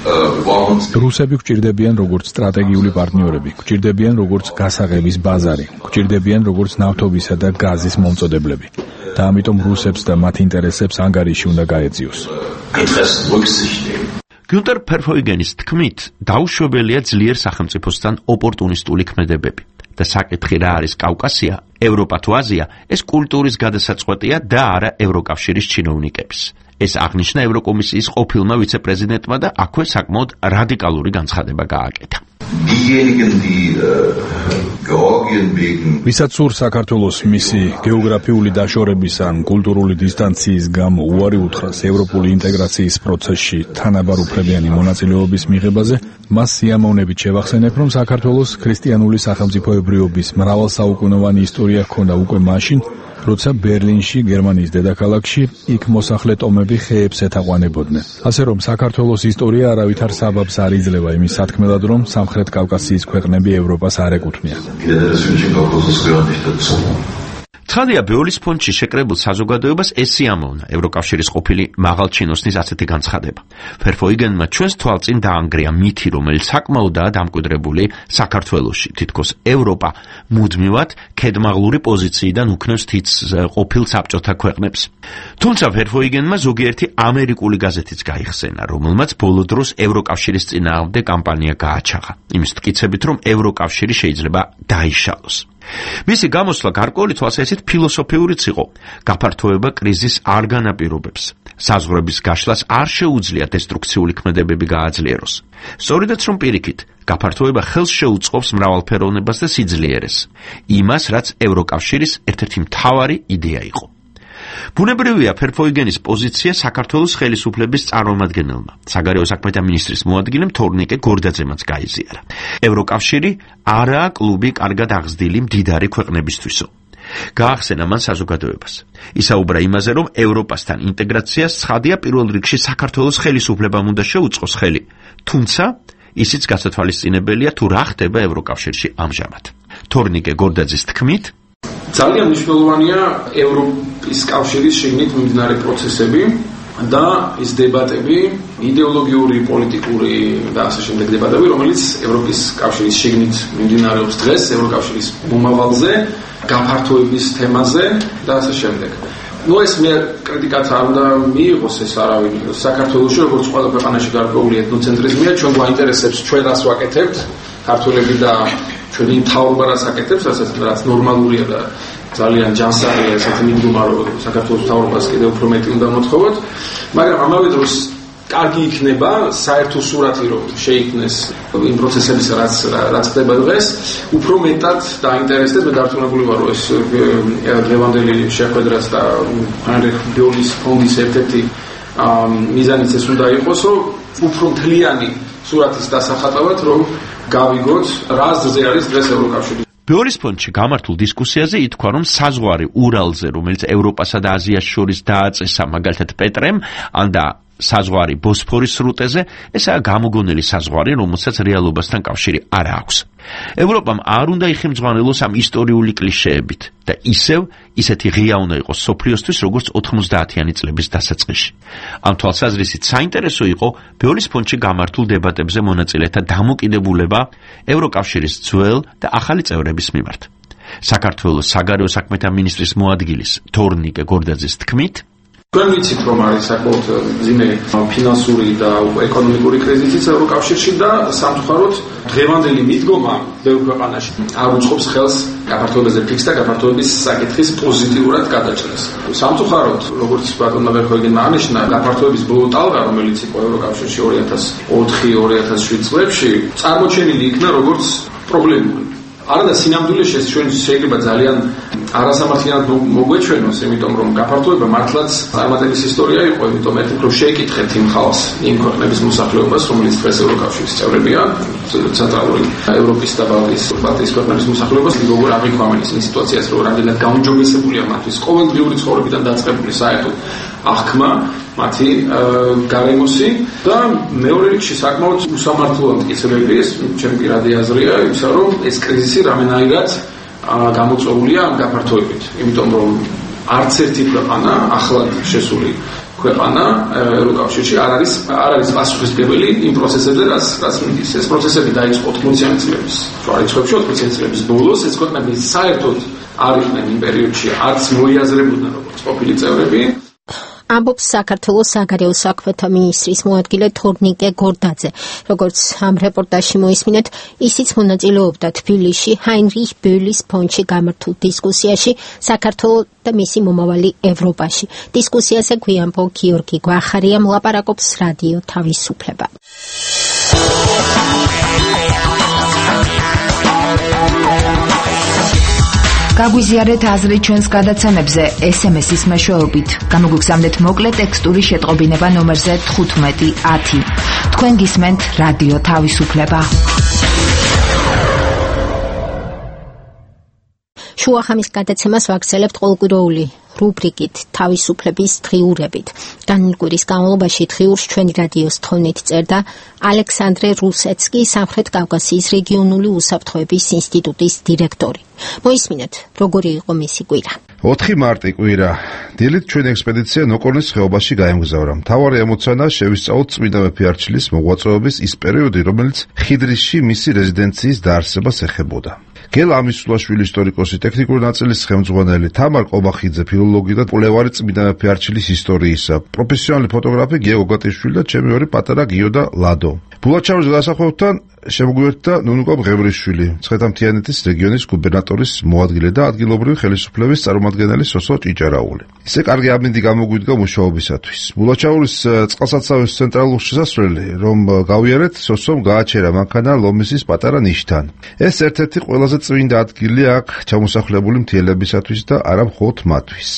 რუსები გვჭირდებიან როგორც სტრატეგიული პარტნიორები, გვჭირდებიან როგორც გასაღების ბაზარი, გვჭირდებიან როგორც ნავთობისა და გაზის მომწოდებლები. და ამიტომ რუსებს და მათ ინტერესებს ანგარიში უნდა გაეძიოს. გიუნტერ ფერჰოიგენის თქმით, დაუშვებელია ძლიერ სახელმწიფოსთან ოპორტუნისტული ქმედებები. და საკითხი რა არის კავკასია, ევროპა თუ აზია, ეს კულტურის გადასაწყვეტია და არა ევროკავშირის ჩინოვნიკების. ეს აღნიშნა ევროკომისიის ყოფილმა ვიცე-პრეზიდენტმა და აქვე საკმაოდ რადიკალური განცხადება გააკეთა. ვისაც სურს საქართველოს მისი გეოგრაფიული დაშორების ან კულტურული დისტანციის გამო უარი უთხრას ევროპული ინტეგრაციის პროცესში თანაბარ უფლებიანი მონაწილეობის მიღებაზე, მას სიამოვნებით შევახსენებ, რომ საქართველოს ქრისტიანული სახელმწიფოებრიობის მრავალსაუკუნოვანი ისტორია ჰქონდა უკვე მაშინ, როცა ბერლინში, გერმანიის დედაქალაქში, იქ მოსახლე ტომები ხეებს ეთაყვანებოდნენ. ასე რომ საქართველოს ისტორია არავითარ საბაბს არ იძლევა იმის სათქმელად, რომ სამხრეთ კავკასიის ქვეყნები ევროპას არ ეკუთვნიან. ცხადია, ბეოლის ფონდში შეკრებულ საზოგადოებას ეს სიამოვნა ევროკავშირის ყოფილი მაღალჩინოსნის ასეთი განცხადება. Verheugenმა ჩვენს თვალწინ დაანგრია მითი, რომელიც საკმაოდაა დამკვიდრებული საქართველოში. თითქოს ევროპა მუდმივად ქედმაღლური პოზიციიდან უქნევს თითს ყოფილ საბჭოთა ქვეყნებს. თუმცა Verheugenმა ზოგიერთი ამერიკული გაზეთიც გაიხსენა, რომელმაც ბოლო დროს ევროკავშირის წინააღმდეგ კამპანია გააჩაღა. იმის მტკიცებით, რომ ევროკავშირი შეიძლება დაიშალოს. მისი გამოსვლა გარკვეული თვალსაზრისით ფილოსოფიურიც იყო. გაფართოება კრიზისს არ განაპირობებს. საზღვრების გაშლას არ შეუძლია დესტრუქციული ქმედებები გააძლიეროს. სწორედაც რომ პირიქით, გაფართოება ხელს შეუწყობს მრავალფეროვნებას და სიძლიერეს. იმას, რაც ევროკავშირის ერთ-ერთი მთავარი იდეა იყო. ბუნებრივია, Verheugenis პოზიცია საქართველოს ხელისუფლების წარმომადგენელმა, საგარეო საქმეთა მინისტრის მოადგილემ თორნიკე გორდაძემაც გაიზიარა. ევროკავშირი არაა კლუბი კარგად აღზრდილი მდიდარი ქვეყნებისთვისო. გაახსენა მან საზოგადოებას. ისაუბრა იმაზე, რომ ევროპასთან ინტეგრაციას ცხადია პირველ რიგში საქართველოს ხელისუფლებამ უნდა შეუწყოს ხელი, თუმცა ისიც გასათვალისწინებელია თუ რა ხდება ევროკავშირში ამჟამად. თორნიკე გორდაძის თქმით, ძალიან მნიშვნელოვანია ევროპის კავშირის შიგნით მიმდინარე პროცესები და ის დებატები, იდეოლოგიური, პოლიტიკური და ასე შემდეგ დებატები, რომელიც ევროპის კავშირის შიგნით მიმდინარეობს დღეს, ევროკავშირის მომავალზე, გაფართოების თემაზე და ასე შემდეგ. ეს მე კრიტიკაც არ უნდა მიიღოს ეს არავინ საქართველოში, როგორც ყველა ქვეყანაში გარკვეული ეთნოცენტრიზმია, ჩვენ გვაინტერესებს ჩვენ რას ვაკეთებთ, ქართველები და ჩვენი მთავრობა რაც აკეთებს, რაც ნორმალურია და ძალიან ჯანსაღია, ესეთი მიდგომა, რომ საქართველოს მთავრობას კიდევ უფრო მეტი უნდა მოთხოვოთ, მაგრამ ამავე დროს კარგი იქნება საერთო სურათი, რომ შეიქმნეს იმ პროცესების, რაც ხდება დღეს, უფრო მეტად დაინტერესდეს. მე დარწმუნებული ვარ, რომ ეს დღევანდელი შეხვედრაც და ბეოლის ფონდის ერთ-ერთი მიზანიც ეს უნდა იყოს, რომ უფრო მთლიანი სურათის დასახატავად, რომ გავიგოთ, რა აზრზე არის დღეს ევროკავშირი. ბეოლის ფონდში გამართულ დისკუსიაზე ითქვა, რომ საზღვარი ურალზე, რომელიც ევროპასა და აზიას შორის დააწესა, მაგალითად პეტრემ, და საზღვარი ბოსფორის სრუტეზე, ესაა გამოგონილი საზღვარი, რომელსაც რეალობასთან კავშირი არ აქვს. ევროპამ არ უნდა იხმძღვანელოს ამ ისტორიული კლიშეებით და ისეთი ღია უნდა იყოს სოფლიოსთვის, როგორც 90-იანი წლების დასაწყისში. ამ თვალსაზრისით საინტერესო იყო ბეოლის ფონდში გამართულ დებატებზე მონაწილეთა დამოკიდებულება ევროკავშირის ძველ და ახალი წევრების მიმართ. საქართველოს საგარეო საქმეთა მინისტრის მოადგილის თორნიკე გორდაძის თქმით, თქვენ ვიცით, რომ არის საკმაოდ მძიმე ფინანსური და ეკონომიკური კრიზისიც ევროკავშირში და სამწუხაროდ დღევანდელი მიდგომა ბევრ ქვეყანაში არ უწყობს ხელს გაფართოებაზე ფიქს და გაფართოების საკითხის პოზიტიურად გადაჭრას. სამწუხაროდ, როგორც ბატონმა Verheugenმა აღნიშნა, გაფართოების ბოლო ტალღა, რომელიც იყო ევროკავშირში 2004-2007 წლებში, წარმოჩენილი იქნა როგორც პრობლემური. არადა სინამდვილეში ეს ჩვენ შეიძლება ძალიან არასამართლიანად მოგვეჩვენოს, იმიტომ რომ გაფართოება მართლაც წარმატების ისტორია იყო, იმიტომ ერთ უფრო შეიკითხეთ იმ ხალხს, იმ ქვეყნების მოსახლეობას, რომელიც დღეს ევროკავშირის წევრებია, ცენტრალური ევროპის და ბალტიის ქვეყნების მოსახლეობას, როგორ აღიქვამენ ისინი სიტუაციას, რომ რამდენად გაუმჯობესებულია მათთვის ყოველდღიური ცხოვრებიდან დაწყებული საერთოდ აღქმა, მათი გარემოსი და მეორე რიგში საკმაოდ უსამართლოა მტკიცებები, ეს ჩემი პირადი აზრია, ისა რომ ეს კრიზისი რამენაირად გამოწვეულია ამ გაფართოებით, იმიტომ რომ არც ერთი ქვეყანა, ახლად შესული ქვეყანა ევროკავშირში არ არის პასუხისმგებელი იმ პროცესებზე, რაც მიდის. ეს პროცესები დაიწყო 80-იანი წლების შუარიცხვებში, 80-იანი წლების ბოლოს, ეს ქვეყნები საერთოდ არ იყვნენ იმ პერიოდში, არც მოიაზრებოდნენ როგორც ყოფილი წევრები. ამბობს საქართველოს საგარეო საქმეთა მინისტრის მოადგილე თორნიკე გორდაძე. როგორც ამ რეპორტაჟში მოისმინეთ, ისიც მონაწილეობდა თბილისში ჰაინრიხ ბეოლის ფონდში გამართულ დისკუსიაში საქართველოს და მისი მომავალი ევროპაში. დისკუსიაზე გვიანბო გიორგი გვახარიამ ლაპარაკობს რადიო თავისუფლება. გაგვიზიარეთ აზრი ჩვენს გადაცემებზე SMS-ის მეშვეობით. გამოგვიგზავნეთ მოკლე ტექსტური შეტყობინება ნომერზე 1510. თქვენ გისმენთ რადიო თავისუფლება. შუახამის გადაცემას ვაგრძელებთ ყოველკვირეული რუბრიკით თავისუფლების დღიურებით. განმავლო კვირის განმავლობაში დღიურს ჩვენი რადიოს თხოვნით წერდა ალექსანდრე რუსეცკი, სამხრეთ კავკასიის რეგიონული უსაფრთხოების ინსტიტუტის დირექტორი. მოისმინეთ, როგორი იყო მისი კვირა. 4 მარტი კვირა. დილით ჩვენ ექსპედიცია ნოკორნის ხეობაში გაემგზავრა. მთავარი ამოცანა შევისწავლოთ წმინდა მეფე არჩილის მოღვაწეობის ის პერიოდი, რომელიც ხიდრისში მისი რეზიდენციის დაარსებას ეხებოდა. გელა ამისულაშვილი ისტორიკოსი, ტექნიკური ნაწილის ხელმძღვანელი, თამარ ყობახიძე, ფილოლოგი და კვლევარი წმინდა მეფე არჩილის ისტორიისა, პროფესიონალი ფოტოგრაფი გიო გატიშვილი და ჩემი ორი პატარა გიო და ლადო. ბულაჩაურის გასახვევთან შემოგვიერთდა ნუნუკა ბღევრიშვილი, მცხეთა-მთიანეთის რეგიონის გუბერნატორის მოადგილე და ადგილობრივი ხელისუფლების წარმომადგენელი სოსო ჭიჭარაული. ისე კარგი ამინდი გამოგვიდგა მუშაობისათვის. ბულაჩაურის წყალსაცავის ცენტრალური შესასვლელი, რომ გავიარეთ, სოსომ გააჩერა მანქანა ლომისის პატარა ნიშთან. ეს ერთ-ერთი ყველაზე წმინდა ადგილი აქ ჩამოსახლებული მთიელებისათვის და არა მხოლოდ მათთვის.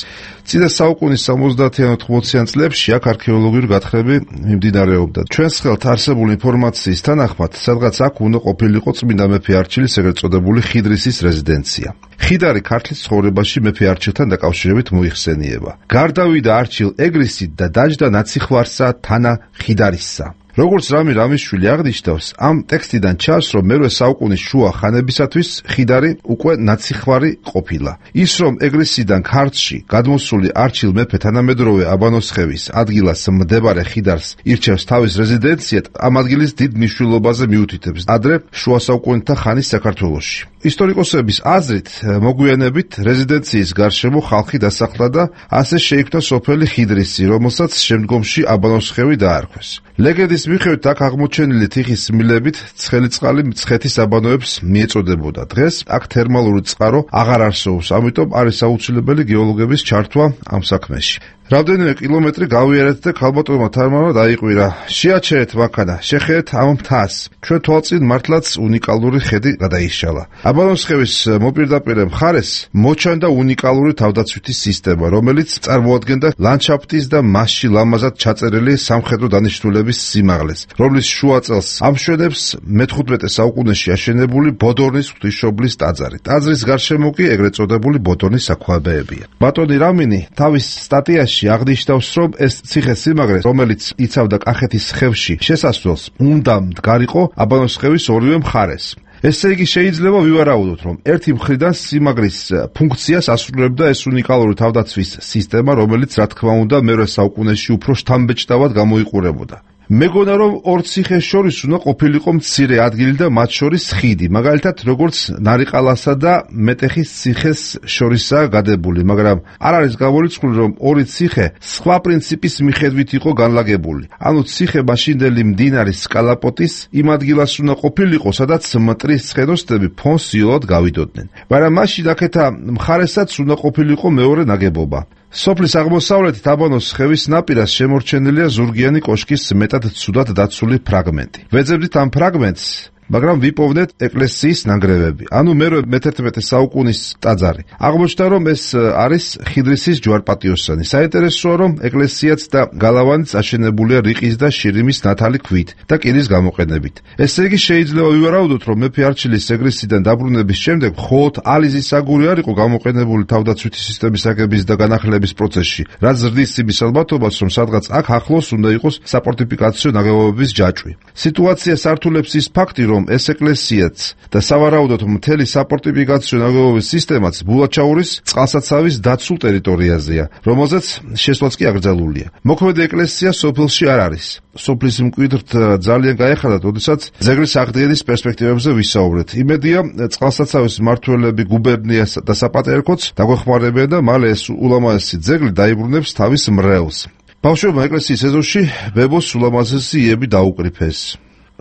წინა საუკუნის 70-იან 80-იან წლებში აქ არქეოლოგიური გათხრები მიმდინარეობდა. ჩვენს ხელთ არსებული ინფორმაციის თანახმად, სადღაც აქ უნდა ყოფილიყო წმინდა მეფე არჩილის ეგრეთ წოდებული ხიდრისის რეზიდენცია. ხიდარი ქართლის ცხოვრებაში მეფე არჩილთან დაკავშირებით მოიხსენიება. გარდავიდა არჩილ ეგრისით და დაჯდა ნაციხვარსა თანა ხიდარისსა. როგორც რამი რამიშვილი აღნიშნავს, ამ ტექსტიდან ჩანს, რომ მერვე საუკუნის შუა ხანებისათვის ხიდარი უკვე ნაციხვარი ყოფილა. ის, რომ ეგრისიდან ქართლში გადმოსული არჩილ მეფე თანამედროვე აბანოსხევის ადგილას მდებარე ხიდარს ირჩევს თავის რეზიდენციად, ამ ადგილის დიდ მნიშვნელობაზე მიუთითებს ადრე შუა საუკუნეთა ხანის საქართველოში. ისტორიკოსების აზრით, მოგვიანებით რეზიდენციის გარშემო ხალხი დასახლა და ასე შეიქმნა სოფელი ხიდრისი, რომელსაც შემდგომში აბანოსხევი დაარქვეს. ლეგენდის მიხედვით აქ აღმოჩენილი თიხის მილებით ცხელი წყალი მცხეთის აბანოებს მიეწოდებოდა. დღეს აქ თერმალური წყარო აღარ არსებობს, ამიტომ არის აუცილებელი გეოლოგების ჩართვა ამ საქმეში. რამდენიმე კილომეტრი გავიარეთ და ქალბატონმა თარმანმა დაიყვირა. შეაჩერეთ მანქანა, შეხედეთ ამ მთას. ჩვენ თვალწინ მართლაც უნიკალური ხედი გადაიშალა. აბანოსხევის მოპირდაპირე მხარეს მოჩანდა უნიკალური თავდაცვითი სისტემა, რომელიც წარმოადგენდა ლანდშაფტის და მასში ლამაზად ჩაწერილი სამხედრო დანიშნულების სიმაღლეს, რომლის შუა წელს ამშვენებს მე-15 საუკუნეში აშენებული ბოდორნის ღვთისმშობლის ტაძარი. ტაძრის გარშემო კი ეგრეთ წოდებული ბოდორნის საქვაბეებია. ბატონი რამინი თავის სტატიაში აღნიშნავს, რომ ეს ციხე-სიმაგრე, რომელიც იცავდა კახეთის ხევში შესასვლელს, უნდა მდგარიყო აბანოსხევის ორივე მხარეს. ესე იგი შეიძლება ვივარაუდოთ, რომ ერთი მხრიდან სიმაგრის ფუნქციას ასრულებდა ეს უნიკალური თავდაცვის სისტემა, რომელიც რა თქმა უნდა მერვე საუკუნეში უფრო შთამბეჭდავად გამოიყურებოდა. მეგონა რომ ორ ციხეს შორის უნდა ყოფილიყო მცირე ადგილი და მათ შორის ხიდი, მაგალითად როგორც ნარიყალასა და მეტეხის ციხეს შორისაა გადებული, მაგრამ არ არის გამორიცხული რომ ორი ციხე სხვა პრინციპის მიხედვით იყო განლაგებული. ანუ ციხე მაშინდელი მდინარის კალაპოტის იმ ადგილას უნდა ყოფილიყო, სადაც მტრის ცხენოსნები ფონსიოლად გავიდოდნენ. მაგრამ მაშინ აქეთა მხარესაც უნდა ყოფილიყო მეორე ნაგებობა. სოფლის აღმოსავლეთით აბანოსხევის ნაპირას შემორჩენილია ზურგიანი კოშკის მეტად ცუდად დაცული ფრაგმენტი. ვეძებდით ამ ფრაგმენტს, მაგრამ ვიპოვნეთ ეკლესიის ნანგრევები, ანუ მერვე მე-11 საუკუნის ტაძარი. აღმოჩნდა, რომ ეს არის ხიდრისის ჯვარპატიოსანი. საინტერესოა, რომ ეკლესიაც და გალავანიც აშენებულია რიყის და შირიმის ნათალი ქვით და კირის გამოყენებით. ესე იგი შეიძლება ვივარაუდოთ, რომ მეფე არჩილის ეგრისიდან დაბრუნების შემდეგ მხოლოდ ალიზის აგური არ იყო გამოყენებული თავდაცვითი სისტემის აგების და განახლების პროცესში, რაც ზრდის იმის ალბათობას, რომ სადღაც აქ ახლოს უნდა იყოს საფორტიფიკაციო ნაგებობების ჯაჭვი. სიტუაციას ართულებს ის ფაქტი, რომ ეს ეკლესიაც და სავარაუდოდ მთელი საფორტიფიკაციო ნაგებობის სისტემაც ბულაჩაურის წყალსაცავის დაცულ ტერიტორიაზეა, რომელზეც შესვლაც კი აკრძალულია. მოქმედი ეკლესია სოფელში არ არის. სოფლის მკვიდრთ ძალიან გაეხადა, როდესაც ძეგლის აღდგენის პერსპექტივებზე ვისაუბრეთ. იმედია, წყალსაცავის მმართველები გუბერნიას და საპატრიარქოც დაგვეხმარებიან და მალე ეს ულამაზესი ძეგლი დაიბრუნებს თავის მრევლს. ბავშვებმა ეკლესიის ეზოში ბებოს ულამაზესი იები დაუკრიფეს.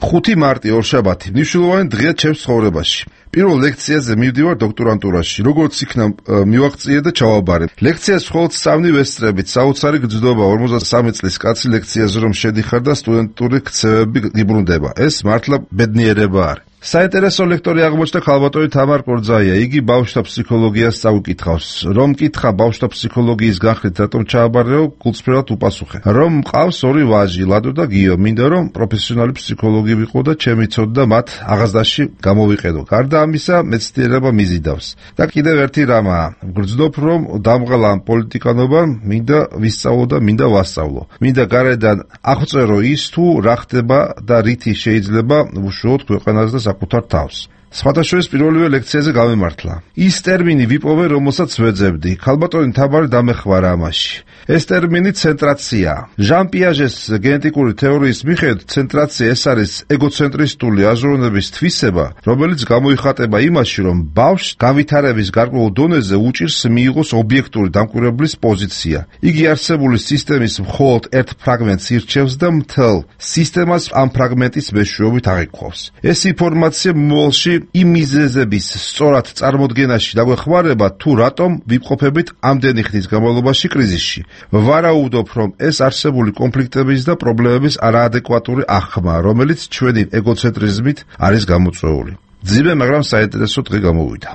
5 მარტი ორშაბათი მნიშვნელოვანი დღეა ჩემს ცხოვრებაში. პირველ ლექციაზე მივდივარ დოქტორანტურაში, როგორც იქნა მივაღწიე და ჩავაბარე. ლექციას მხოლოდ 3 ვესწრებით, საოცარი გრძნობა 53 წლის კაცი ლექციაზე რომ შედიხარ და სტუდენტური ქცევები გიბრუნდება. ეს მართლა ბედნიერება არის. საინტერესო ლექტორი აღმოჩნდა ქალბატონი თამარ კორძაია. იგი ბავშვთა ფსიქოლოგიას წაუკითხავს. რომ კითხა ბავშვთა ფსიქოლოგიის განხრით რატომ ჩააბარეო, გულწრფელად უპასუხე. რომ მყავს 2 ვაჟი, ლადო და გიო, მინდა რომ პროფესიონალი ფსიქოლოგი ვიყო და ჩემი ცოდნა მათ აღზრდაში გამოვიყენო. გარდა ამისა, მეცნიერება მიზიდავს. და კიდევ ერთი რამაა, გრძნობ რომ დამღალა ამ პოლიტიკანობამ მინდა ვისწავლო და მინდა ვასწავლო. მინდა გარედან აღწერო ის თუ რა ხდება და რითი შეიძლება უშუალოდ ქვეყანას და საკუთარ თავს. სხვადასხვა პირველივე ლექციაზე გამემართლა. ის ტერმინი ვიპოვე, რომელსაც ვეძებდი. ქალბატონი თაბარი დამეხმარა ამაში. ეს ტერმინი ცენტრაცია. ჟან პიაჟეს გენეტიკური თეორიის მიხედვით, ცენტრაცია ეს არის ეგოცენტრისტული აზროვნების თვისება, რომელიც გამოიხატება იმაში, რომ ბავშვს განვითარების გარკვეულ დონეზე უჭირს მიიღოს ობიექტური დამკვირვებლის პოზიცია. იგი არსებული სისტემის მხოლოდ ერთ ფრაგმენტს ირჩევს და მთელ სისტემას ამ ფრაგმენტის მეშვეობით აღიქვავს. ეს ინფორმაცია მომავალში იმ მიზეზების სწორად წარმოდგენაში დაგვეხმარება, თუ რატომ ვიმყოფებით ამდენი ხნის განმავლობაში კრიზისში. ვარაუდობ, რომ ეს არსებული კონფლიქტების და პრობლემების არაადეკვატური აღქმა, რომელიც ჩვენი ეგოცენტრიზმით არის გამოწვეული. ძიმე, მაგრამ საინტერესო დღე გამოვიდა.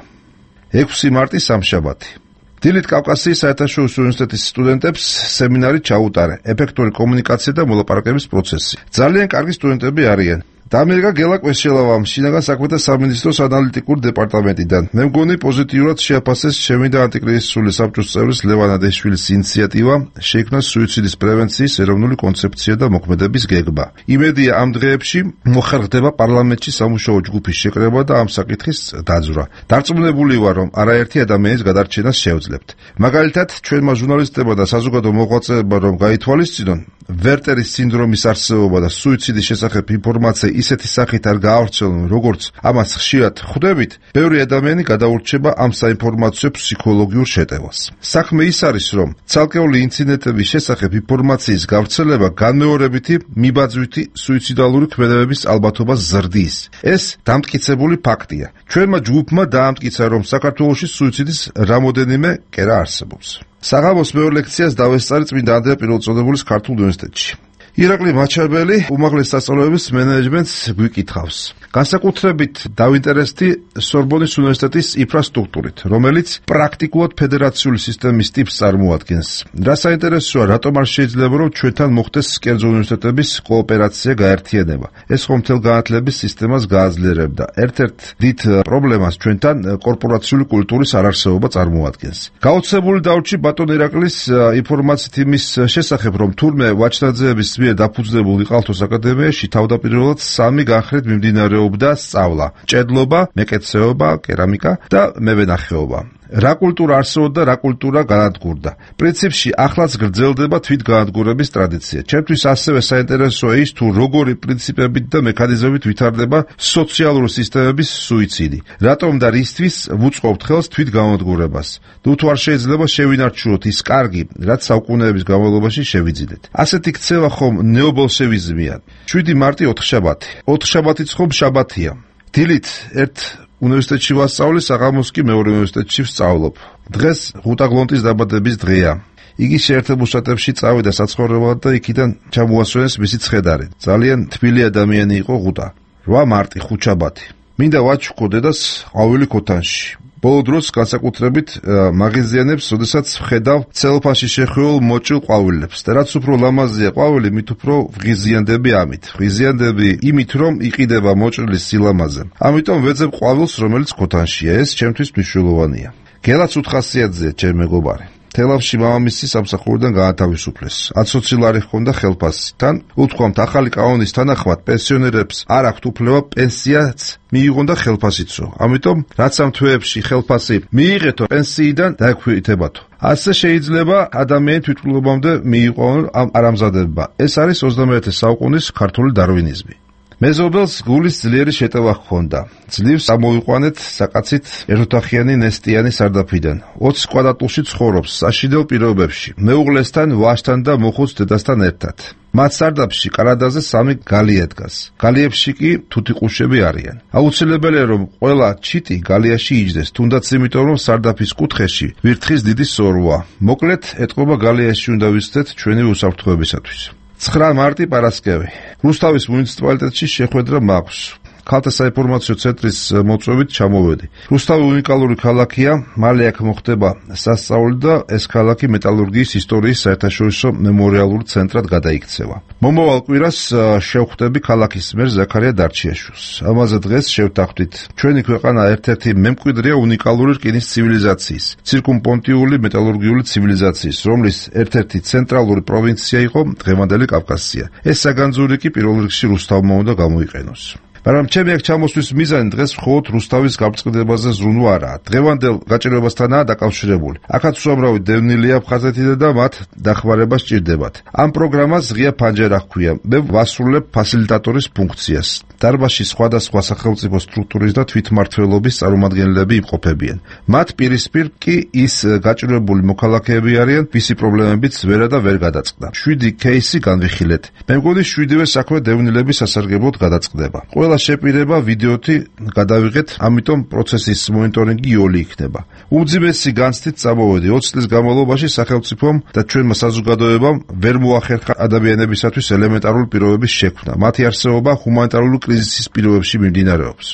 6 მარტი სამშაბათი. დილით კავკასიის საერთაშორისო უნივერსიტეტის სტუდენტებს სემინარი ჩაუტარე ეფექტური კომუნიკაცია და მოლაპარაკების პროცესი. ძალიან კარგი სტუდენტები არიან. დამიერგა გელა კვესჩელავამ შინაგან საქმეთა სამინისტროს ანალიტიკურ დეპარტამენტიდან. მე მგონი პოზიტიურად შეაფასეს ჩემი და ანტიკრიზისული საბჭოს წევრის ლევან ადეშვილის ინიციატივა შეიქმნა სუიციდის პრევენციის ეროვნული კონცეფცია და მოქმედების გეგმა. იმედია ამ დღეებში მოხერხდება პარლამენტში სამუშაო ჯგუფის შეკრება და ამ საკითხის დაძვრა. დარწმუნებული ვარ, რომ არაერთი ადამიანის გადარჩენას შევძლებთ. მაგალითად, ჩვენმა ჟურნალისტებმა და საზოგადო მოღვაწეებმა რომ გაითვალისწინონ ვერტერის სინდრომის არსებობა და სუიციდის შესახებ ინფორმაცია ისეთი სახით არ გაავრცელონ, როგორც ამას ხშირად ხვდებით, ბევრი ადამიანი გადაურჩება ამ საინფორმაციო ფსიქოლოგიურ შეტევას. საქმე ის არის, რომ ცალკეული ინციდენტების შესახებ ინფორმაციის გავრცელება განმეორებითი მიბაძვითი სუიციდალური ქმედებების ალბათობას ზრდის. ეს დამტკიცებული ფაქტია. ჩვენმა ჯგუფმა დაამტკიცა, რომ საქართველოში სუიციდის რამოდენიმე კერა არსებობს. საღამოს მეორე ლექციას დავესწარი წმინდა ანდრია პირველწოდებულის ქართულ უნივერსიტეტში. ირაკლი მაჩაბელი უმაღლეს სასწავლებლების მენეჯმენტს გვიკითხავს. განსაკუთრებით დავინტერესდი სორბონის უნივერსიტეტის ინფრასტრუქტურით, რომელიც პრაქტიკულად ფედერაციული სისტემის ტიპს წარმოადგენს. რა საინტერესოა, რატომ არ შეიძლება რომ ჩვენთან მოხდეს კერძო უნივერსიტეტების კოოპერაცია, გაერთიანება. ეს ხომ მთელ განათლების სისტემას გააძლიერებდა. ერთ-ერთ დიდ პრობლემას ჩვენთან კორპორაციული კულტურის არარსებობა წარმოადგენს. გაოცებული დავრჩი ბატონ ირაკლის ინფორმაციით იმის შესახებ, რომ თურმე ვაჩნაძეების დაფუძნებულ იყალთოს აკადემიაში თავდაპირველად 3 განხრით მიმდინარეობდა სწავლა: ჭედლობა, მეკეცეობა, კერამიკა და მევენახეობა. რა კულტურა არსებობდა, რა კულტურა განადგურდა. პრინციპში ახლაც გრძელდება თვითგანადგურების ტრადიცია. ჩემთვის ასევე საინტერესოა ის, თუ როგორი პრინციპებით და მექანიზმებით ვითარდება სოციალური სისტემების სუიციდი. რატომ და რისთვის ვუწყობთ ხელს თვითგანადგურებას? თუ არ შეიძლება შევინარჩუნოთ ის კარგი, რაც საუკუნეების განმავლობაში შევიძინეთ. ასეთი ქცევა ხომ ნეობოლშევიზმია. 7 მარტი 4 შაბათი. 4 შაბათიც ხომ შაბათია. დილით ერთ უნივერსიტეტში ვასწავლი, საღამოს კი მეორე უნივერსიტეტში ვსწავლობ. დღეს ღუტა გლონტის დაბადების დღეა. იგი შეერთებულ შტატებში წავიდა საცხოვრებლად და იქიდან ჩამოასვენეს მისი ცხედარი. ძალიან თბილი ადამიანი იყო ღუტა. 8 მარტი ხუთშაბათი. მინდა ვაჩუქო დედას ყვავილი ქოთანში. ბოლო დროს განსაკუთრებით მაღიზიანებს, როდესაც ვხედავ ცელოფანში შეხვეულ მოჭრილ ყვავილებს. და რაც უფრო ლამაზია ყვავილი, მით უფრო ვღიზიანდები ამით. ვღიზიანდები იმით, რომ იყიდება მოჭრილის სილამაზე. ამიტომ ვეძებ ყვავილს, რომელიც ქოთანშია. ეს ჩემთვის მნიშვნელოვანია. გელაც უთხასიათზეა, ჩემ მეგობარი. თელავში მამამისი სამსახურიდან გაათავისუფლეს. 10 ლარი ჰქონდა ხელფასი. თან უთქვამთ, ახალი კანონის თანახმად პენსიონერებს არ აქვთ უფლება პენსიაც მიიღონ და ხელფასიცო. ამიტომ რაც ამ თვეებში ხელფასი მიიღეთო, პენსიიდან დაექვეითებათო. ასე შეიძლება ადამიანი თვითმკვლელობამდე მიიყვანონ ამ არამზადებმა. ეს არის 21 საუკუნის ქართული დარვინიზმი. მეზობელს გულის ძლიერი შეტევა ჰქონდა. ძლივს ამოიყვანეთ საკაცით ერთოთახიანი ნესტიანი სარდაფიდან. 20 კვადრატულში ცხოვრობს, საშინელ პირობებში. მეუღლესთან, ვაჟთან და მოხუც დედასთან ერთად. მათ სარდაფში კარადაზე 3 გალია დგას. გალიებში კი თუთიყუშები არიან. აუცილებელია რომ ყველა ჩიტი გალიაში იჯდეს, თუნდაც იმიტომ რომ სარდაფის კუთხეში ვირთხის დიდი სოროა. მოკლედ, ეთყობა გალიაში უნდა ვისცეთ ჩვენი უსაფრთხოებისათვის. 9 მარტი პარასკევი. რუსთავის მუნიციპალიტეტში შეხვედრა მაქვს. ქალთა საინფორმაციო ცენტრის მოწვევით ჩამოვედი. რუსთავი უნიკალური ქალაქია, მალე აქ მოხდება სასწაული და ეს ქალაქი მეტალურგიის ისტორიის საერთაშორისო მემორიალური ცენტრად გადაიქცევა. მომავალ კვირას შევხვდები ქალაქის მერ ზაქარია დარჩიაშვილს. ამაზე დღეს შევთანხმდით. ჩვენი ქვეყანა ერთ-ერთი მემკვიდრეა უნიკალური რკინის ცივილიზაციის, ცირკუმპონტიული მეტალურგიული ცივილიზაციის, რომლის ერთ-ერთი ცენტრალური პროვინცია იყო დღევანდელი კავკასია. ეს საგანძური კი პირველ რიგში რუსთავმა უნდა გამოიყენოს. მაგრამ ჩემი აქ ჩამოსვლის მიზანი დღეს მხოლოდ რუსთავის გამწყდებაზე ზრუნვა არაა. დღევანდელ გაჭირვებასთანაა დაკავშირებული. აქაც უამრავი დევნილია აფხაზეთიდან და მათ დახმარება სჭირდებათ. ამ პროგრამას ღია ფანჯარა ჰქვია. მე ვასრულებ ფასილიტატორის ფუნქციას. დარბაზში სხვადასხვა სახელმწიფო სტრუქტურის და თვითმმართველობის წარმომადგენლები იმყოფებიან. მათ პირისპირ კი ის გაჭირვებული მოქალაქეები არიან, ვისი პრობლემებიც ვერა და ვერ გადაწყდა. 7 кейსი განვიხილეთ. მე მგონი 7-ვე საქმე დევნილების სასარგებლოდ გადაწყდება. ყველა შეპირება ვიდეოთი გადავიღეთ, ამიტომ პროცესის მონიტორინგი იოლი იქნება. უმძიმესი განცდით წამოვედი 20 წლის განმავლობაში სახელმწიფომ და ჩვენმა საზოგადოებამ ვერ მოახერხა ადამიანებისათვის ელემენტარული პირობების შექმნა. მათი არსებობა ჰუმანიტარული კრიზისის პირობებში მიმდინარეობს.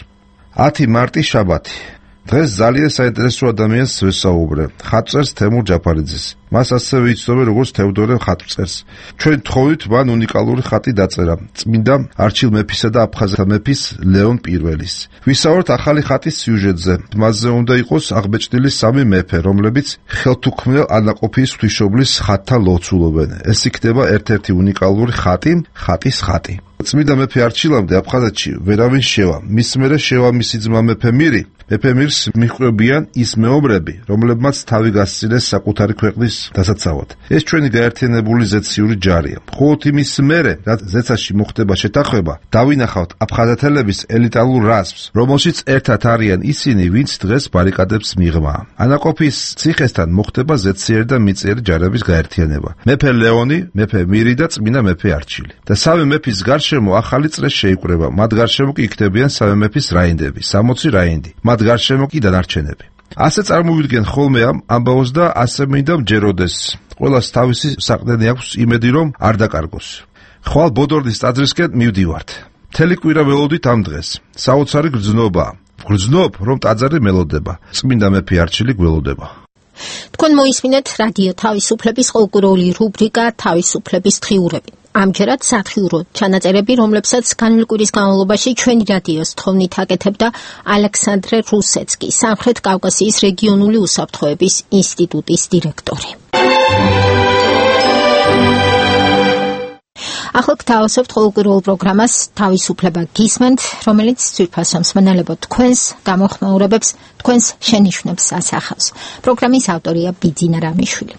10 მარტი შაბათი. დღეს ძალიან საინტერესო ადამიანს ვესაუბრე. ხატვწერს თემურ ჯაფარიძეს. მას ასევე იცნობენ როგორც თევდორე ხატვწერს. ჩვენ თხოვით მან უნიკალური ხატი დაწერა. წმინდა არჩილ მეფისა და აფხაზთა მეფის ლეონ პირველის. ვისაუბრეთ ახალი ხატის სიუჟეტზე. მასზე უნდა იყოს აღბეჭდილი 3 მეფე, რომლებიც ხელთუქმნელ ანაყოფის ღვთისმშობლის ხატთან ლოცულობენ. ეს იქნება ერთ-ერთი უნიკალური ხატი, ხატის ხატი. წმინდა მეფე არჩილამდე აფხაზეთში ვერავინ შევა. მის მერე შევა მისი ძმა მეფე მირი. მეფე მირს მიჰყვებიან ის მეომრები, რომლებმაც თავი გასცინეს საკუთარი ქვეყნის დასაცავად. ეს ჩვენი გაერთიანებული ზეციური ჯარია. მხოლოდ იმის მერე, რაც ზეცაში მოხდება შეთანხმება, დავინახავთ აფხაზეთელების ელიტარულ რაზმს, რომელშიც ერთად არიან ისინი, ვინც დღეს ბარიკადებს მიღმა. ანაყოფის ციხესთან მოხდება ზეციერი და მიწიერი ჯარების გაერთიანება. მეფე ლეონი, მეფე მირი და წმინდა მეფე არჩილი. და 3 მეფის გარშემო ახალი წრე შეიკრება. მათ გარშემო კი იქნებიან 3 მეფის რაინდები, 60 რაინდი. მათ გარშემო კი დანარჩენები. ასე წარმოვიდგენ ხოლმე ამ ამბავს და ასე მინდა მჯეროდეს. ყველას თავისი საყდენი აქვს იმედი რომ არ დაკარგოს. ხვალ ბოდორნის ტაძრისკენ მივდივართ. მთელი კვირა ველოდით ამ დღეს. საოცარი გრძნობა. გრძნობ რომ ტაძარი მელოდება. წმინდა მეფე არჩილი გველოდება. თქვენ მოისმინეთ რადიო თავისუფლების ყოველკვირეული რუბრიკა თავისუფლების დღიურები. ამჯერად სათხიურო ჩანაწერები, რომლებსაც განვლი კვირის განმავლობაში ჩვენი რადიოს თხოვნით აკეთებდა ალექსანდრე რუსეცკი, სამხრეთ კავკასიის რეგიონული უსაფრთხოების ინსტიტუტის დირექტორი. ახლა გთავაზობთ ყოველკვირეულ პროგრამას თავისუფლება გისმენთ, რომელიც ძვირფასო მსმენელებო თქვენს გამოხმაურებებს, თქვენს შენიშვნებს ასახავს. პროგრამის ავტორია ბიძინა რამიშვილი.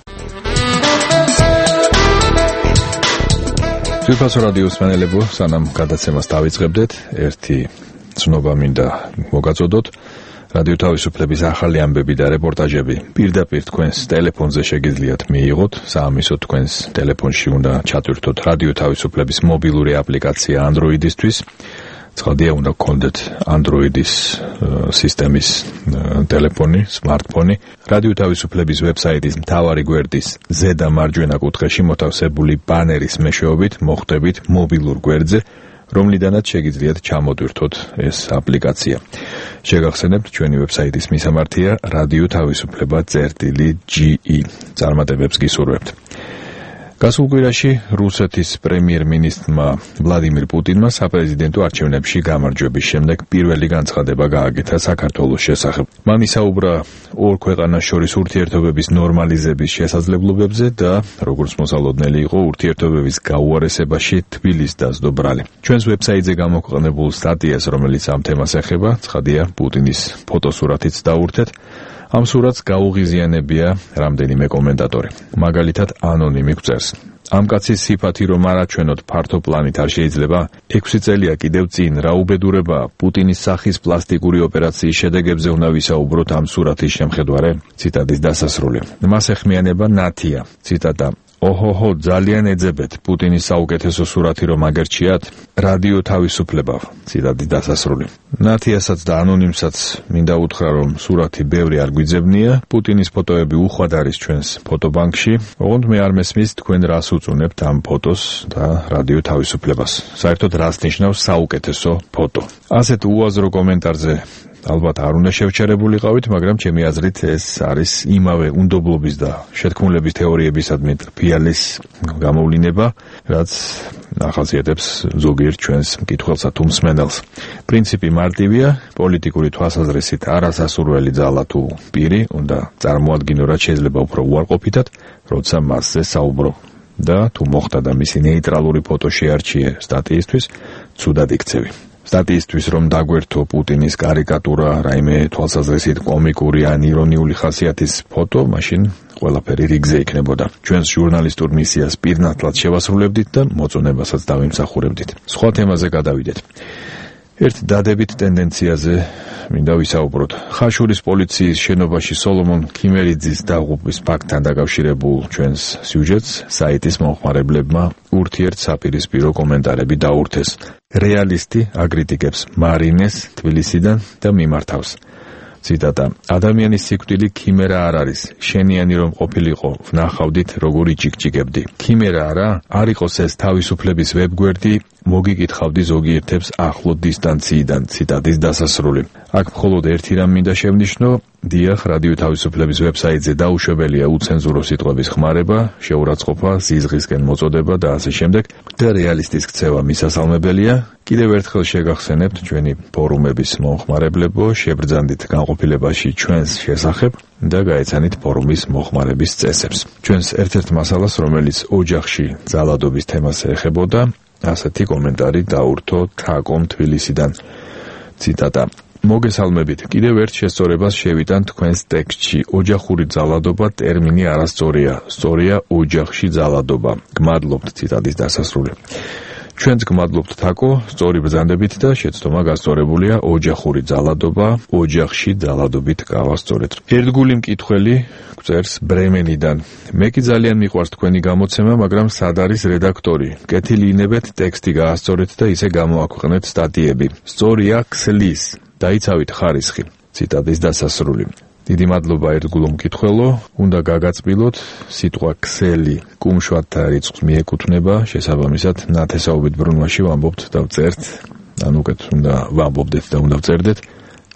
ძვირფასო რადიოს მსმენელებო, სანამ გადაცემას დავიწყებდეთ, ერთი ცნობა მინდა მოგაწოდოთ. რადიო თავისუფლების ახალი ამბები და რეპორტაჟები პირდაპირ თქვენს ტელეფონზე შეგიძლიათ მიიღოთ. საამისო თქვენს ტელეფონში უნდა ჩატვირთოთ რადიო თავისუფლების მობილური აპლიკაცია Android-ისთვის. ცხადია, უნდა გქონდეთ Android-ის სისტემის ტელეფონი, smartphone. რადიო თავისუფლების ვებსაიტის მთავარი გვერდის ზედა მარჯვენა კუთხეში მოთავსებული ბანერის მეშვეობით მოხვდებით მობილურ გვერდზე, რომლიდანაც შეგიძლიათ ჩამოტვირთოთ ეს აპლიკაცია. შეგახსენებთ, ჩვენი ვებსაიტის მისამართია radio-tavisupleba.ge. წარმატებებს გისურვებთ. გასულ კვირაში რუსეთის პრემიერ-მინისტრმა ვლადიმირ პუტინმა საპრეზიდენტო არჩევნებში გამარჯვების შემდეგ პირველი განცხადება გააკეთა საქართველოს შესახებ. მან ისაუბრა ორ ქვეყანას შორის ურთიერთობების ნორმალიზების შესაძლებლობებზე და როგორც მოსალოდნელი იყო ურთიერთობების გაუარესებაში თბილის დასდო ბრალი. ჩვენს ვებსაიტზე გამოქვეყნებულ სტატიას, რომელიც ამ თემას ეხება, ცხადია პუტინის ფოტოსურათიც დაურთეთ. ამ სურათს გაუღიზიანებია რამდენიმე კომენტატორი. მაგალითად, ანონიმი გვწერს: ამ კაცის სიფათი რომ არაჩვენოთ ფართო პლანით არ შეიძლება? 6 წელია კიდევ წინ რა უბედურება პუტინის სახის პლასტიკური ოპერაციის შედეგებზე უნდა ვისაუბროთ ამ სურათის შემხედვარე? ციტატის დასასრული. მას ეხმიანება ნათია. ციტატა: ოჰოჰო, ძალიან ეძებეთ პუტინის საუკეთესო სურათი რომ აგერჩიათ? რადიო თავისუფლება. ციტატის დასასრული. ნათიასაც და ანონიმსაც მინდა უთხრა, რომ სურათი ბევრი არ გვიძებნია. პუტინის ფოტოები უხვად არის ჩვენს ფოტობანკში. ოღონდ მე არ მესმის თქვენ რას უწუნებთ ამ ფოტოს და რადიო თავისუფლებას. საერთოდ რას ნიშნავს საუკეთესო ფოტო? ასეთ უაზრო კომენტარზე ალბათ არ უნდა შევჩერებულიყავით, მაგრამ ჩემი აზრით ეს არის იმავე უნდობლობის და შეთქმულების თეორიებისადმი ფიალის გამოვლინება, რაც ახასიათებს ზოგიერთ ჩვენს მკითხველსა თუ მსმენელს. პრინციპი მარტივია, პოლიტიკური თვალსაზრისით არასასურველი ძალა თუ პირი უნდა წარმოადგინო, რაც შეიძლება უფრო უარყოფითად, როცა მასზე საუბრო. და თუ მოხდა და მისი ნეიტრალური ფოტო შეარჩიე სტატიისთვის, ცუდად იქცევი. სტატიისთვის რომ დაგვერთო პუტინის კარიკატურა, რაიმე თვალსაზრისით კომიკური ან ირონიული ხასიათის ფოტო, მაშინ ყველაფერი რიგზე იქნებოდა. ჩვენს ჟურნალისტურ მისიას პირნათლად შევასრულებდით და მოწონებასაც დავიმსახურებდით. სხვა თემაზე გადავიდეთ. ერთ დადებით ტენდენციაზე მინდა ვისაუბროთ. ხაშურის პოლიციის შენობაში სოლომონ ქიმერიძის დაღუპვის ფაქტთან დაკავშირებულ ჩვენს სიუჟეტს საიტის მომხმარებლებმა ურთიერთსაპირისპირო კომენტარები დაურთეს. რეალისტი აგრიტიკებს მარინეს თბილისიდან და მიმართავს. ციტატა: ადამიანის სიკვდილი ქიმერა არ არის. შენიანი რომ ყოფილიყო, ვნახავდით როგორ იჭიკჭიკებდი. ქიმერა არა, არ იყოს ეს თავისუფლების ვებგვერდი, მოგიკითხავდი ზოგიერთებს ახლო დისტანციიდან. ციტატის დასასრული. აქ მხოლოდ ერთი რამ მინდა შევნიშნო, დიახ, რადიო თავისუფლების ვებსაიტზე დაუშვებელია უცენზურო სიტყვების ხმარება, შეურაცხყოფა, ზიზღისკენ მოწოდება და ასე შემდეგ და რეალისტის ქცევა მისასალმებელია. კიდევ ერთხელ შეგახსენებთ ჩვენი ფორუმების მომხმარებლებო, შებრძანდით განყოფილებაში ჩვენს შესახებ და გაეცანით ფორუმის მოხმარების წესებს. ჩვენს ერთ-ერთ მასალას, რომელიც ოჯახში ძალადობის თემას ეხებოდა, ასეთი კომენტარი დაურთო თაკომ თბილისიდან. ციტატა: მოგესალმებით, კიდევ ერთ შესწორებას შევიტან თქვენს ტექსტში. ოჯახური ძალადობა ტერმინი არასწორია, სწორია ოჯახში ძალადობა. გმადლობთ. ციტატის დასასრული. ჩვენც გმადლობთ თაკო, სწორი ბრძანდებით და შეცდომა გასწორებულია ოჯახური ძალადობა, ოჯახში ძალადობით გავასწორეთ. ერთგული მკითხველი გვწერს ბრემენიდან. მე კი ძალიან მიყვარს თქვენი გამოცემა, მაგრამ სად არის რედაქტორი? კეთილი ინებეთ, ტექსტი გაასწორეთ და ისე გამოაქვეყნეთ სტატიები. სწორია ქსლის. დაიცავით ხარისხი. ციტატის დასასრული. დიდი მადლობა ერთგულო მკითხველო, უნდა გაგაწბილოთ, სიტყვა ქსელი კუმშვათთა რიცხვს მიეკუთვნება, შესაბამისად ნათესაობით ბრუნვაში ვამბობთ და ვწერთ, ან უკეთ უნდა ვამბობდეთ და უნდა ვწერდეთ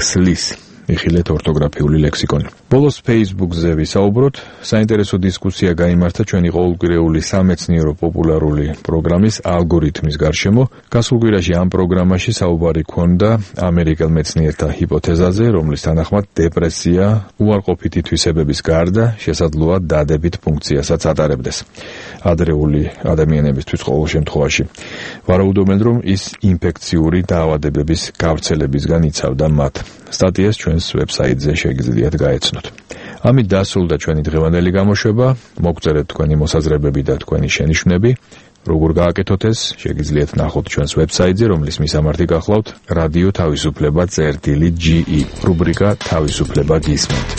ქსლის. იხილეთ ორთოგრაფიული ლექსიკონი. ბოლოს Facebook-ზე ვისაუბროთ, საინტერესო დისკუსია გაიმართა ჩვენი ყოველკვირეული სამეცნიერო პოპულარული პროგრამის ალგორითმის გარშემო. გასულ კვირაში ამ პროგრამაში საუბარი ჰქონდა ამერიკელ მეცნიერთა ჰიპოთეზაზე, რომლის თანახმად დეპრესია უარყოფითი თვისებების გარდა შესაძლოა დადებით ფუნქციასაც ატარებდეს ადრეული ადამიანებისთვის ყოველ შემთხვევაში. ვარაუდობენ, რომ ის ინფექციური დაავადებების გავრცელებისგან იცავდა მათ. სტატიას ჩვენს ვებსაიტზე შეგიძლიათ გაეცნოთ. ამით დასრულდა ჩვენი დღევანდელი გამოშვება. მოგწერეთ თქვენი მოსაზრებები და თქვენი შენიშვნები. როგორ გააკეთოთ ეს, შეგიძლიათ ნახოთ ჩვენს ვებსაიტზე, რომლის მისამართი გახლავთ რადიო თავისუფლება წერტილი.ge, რუბრიკა თავისუფლება გისმენთ.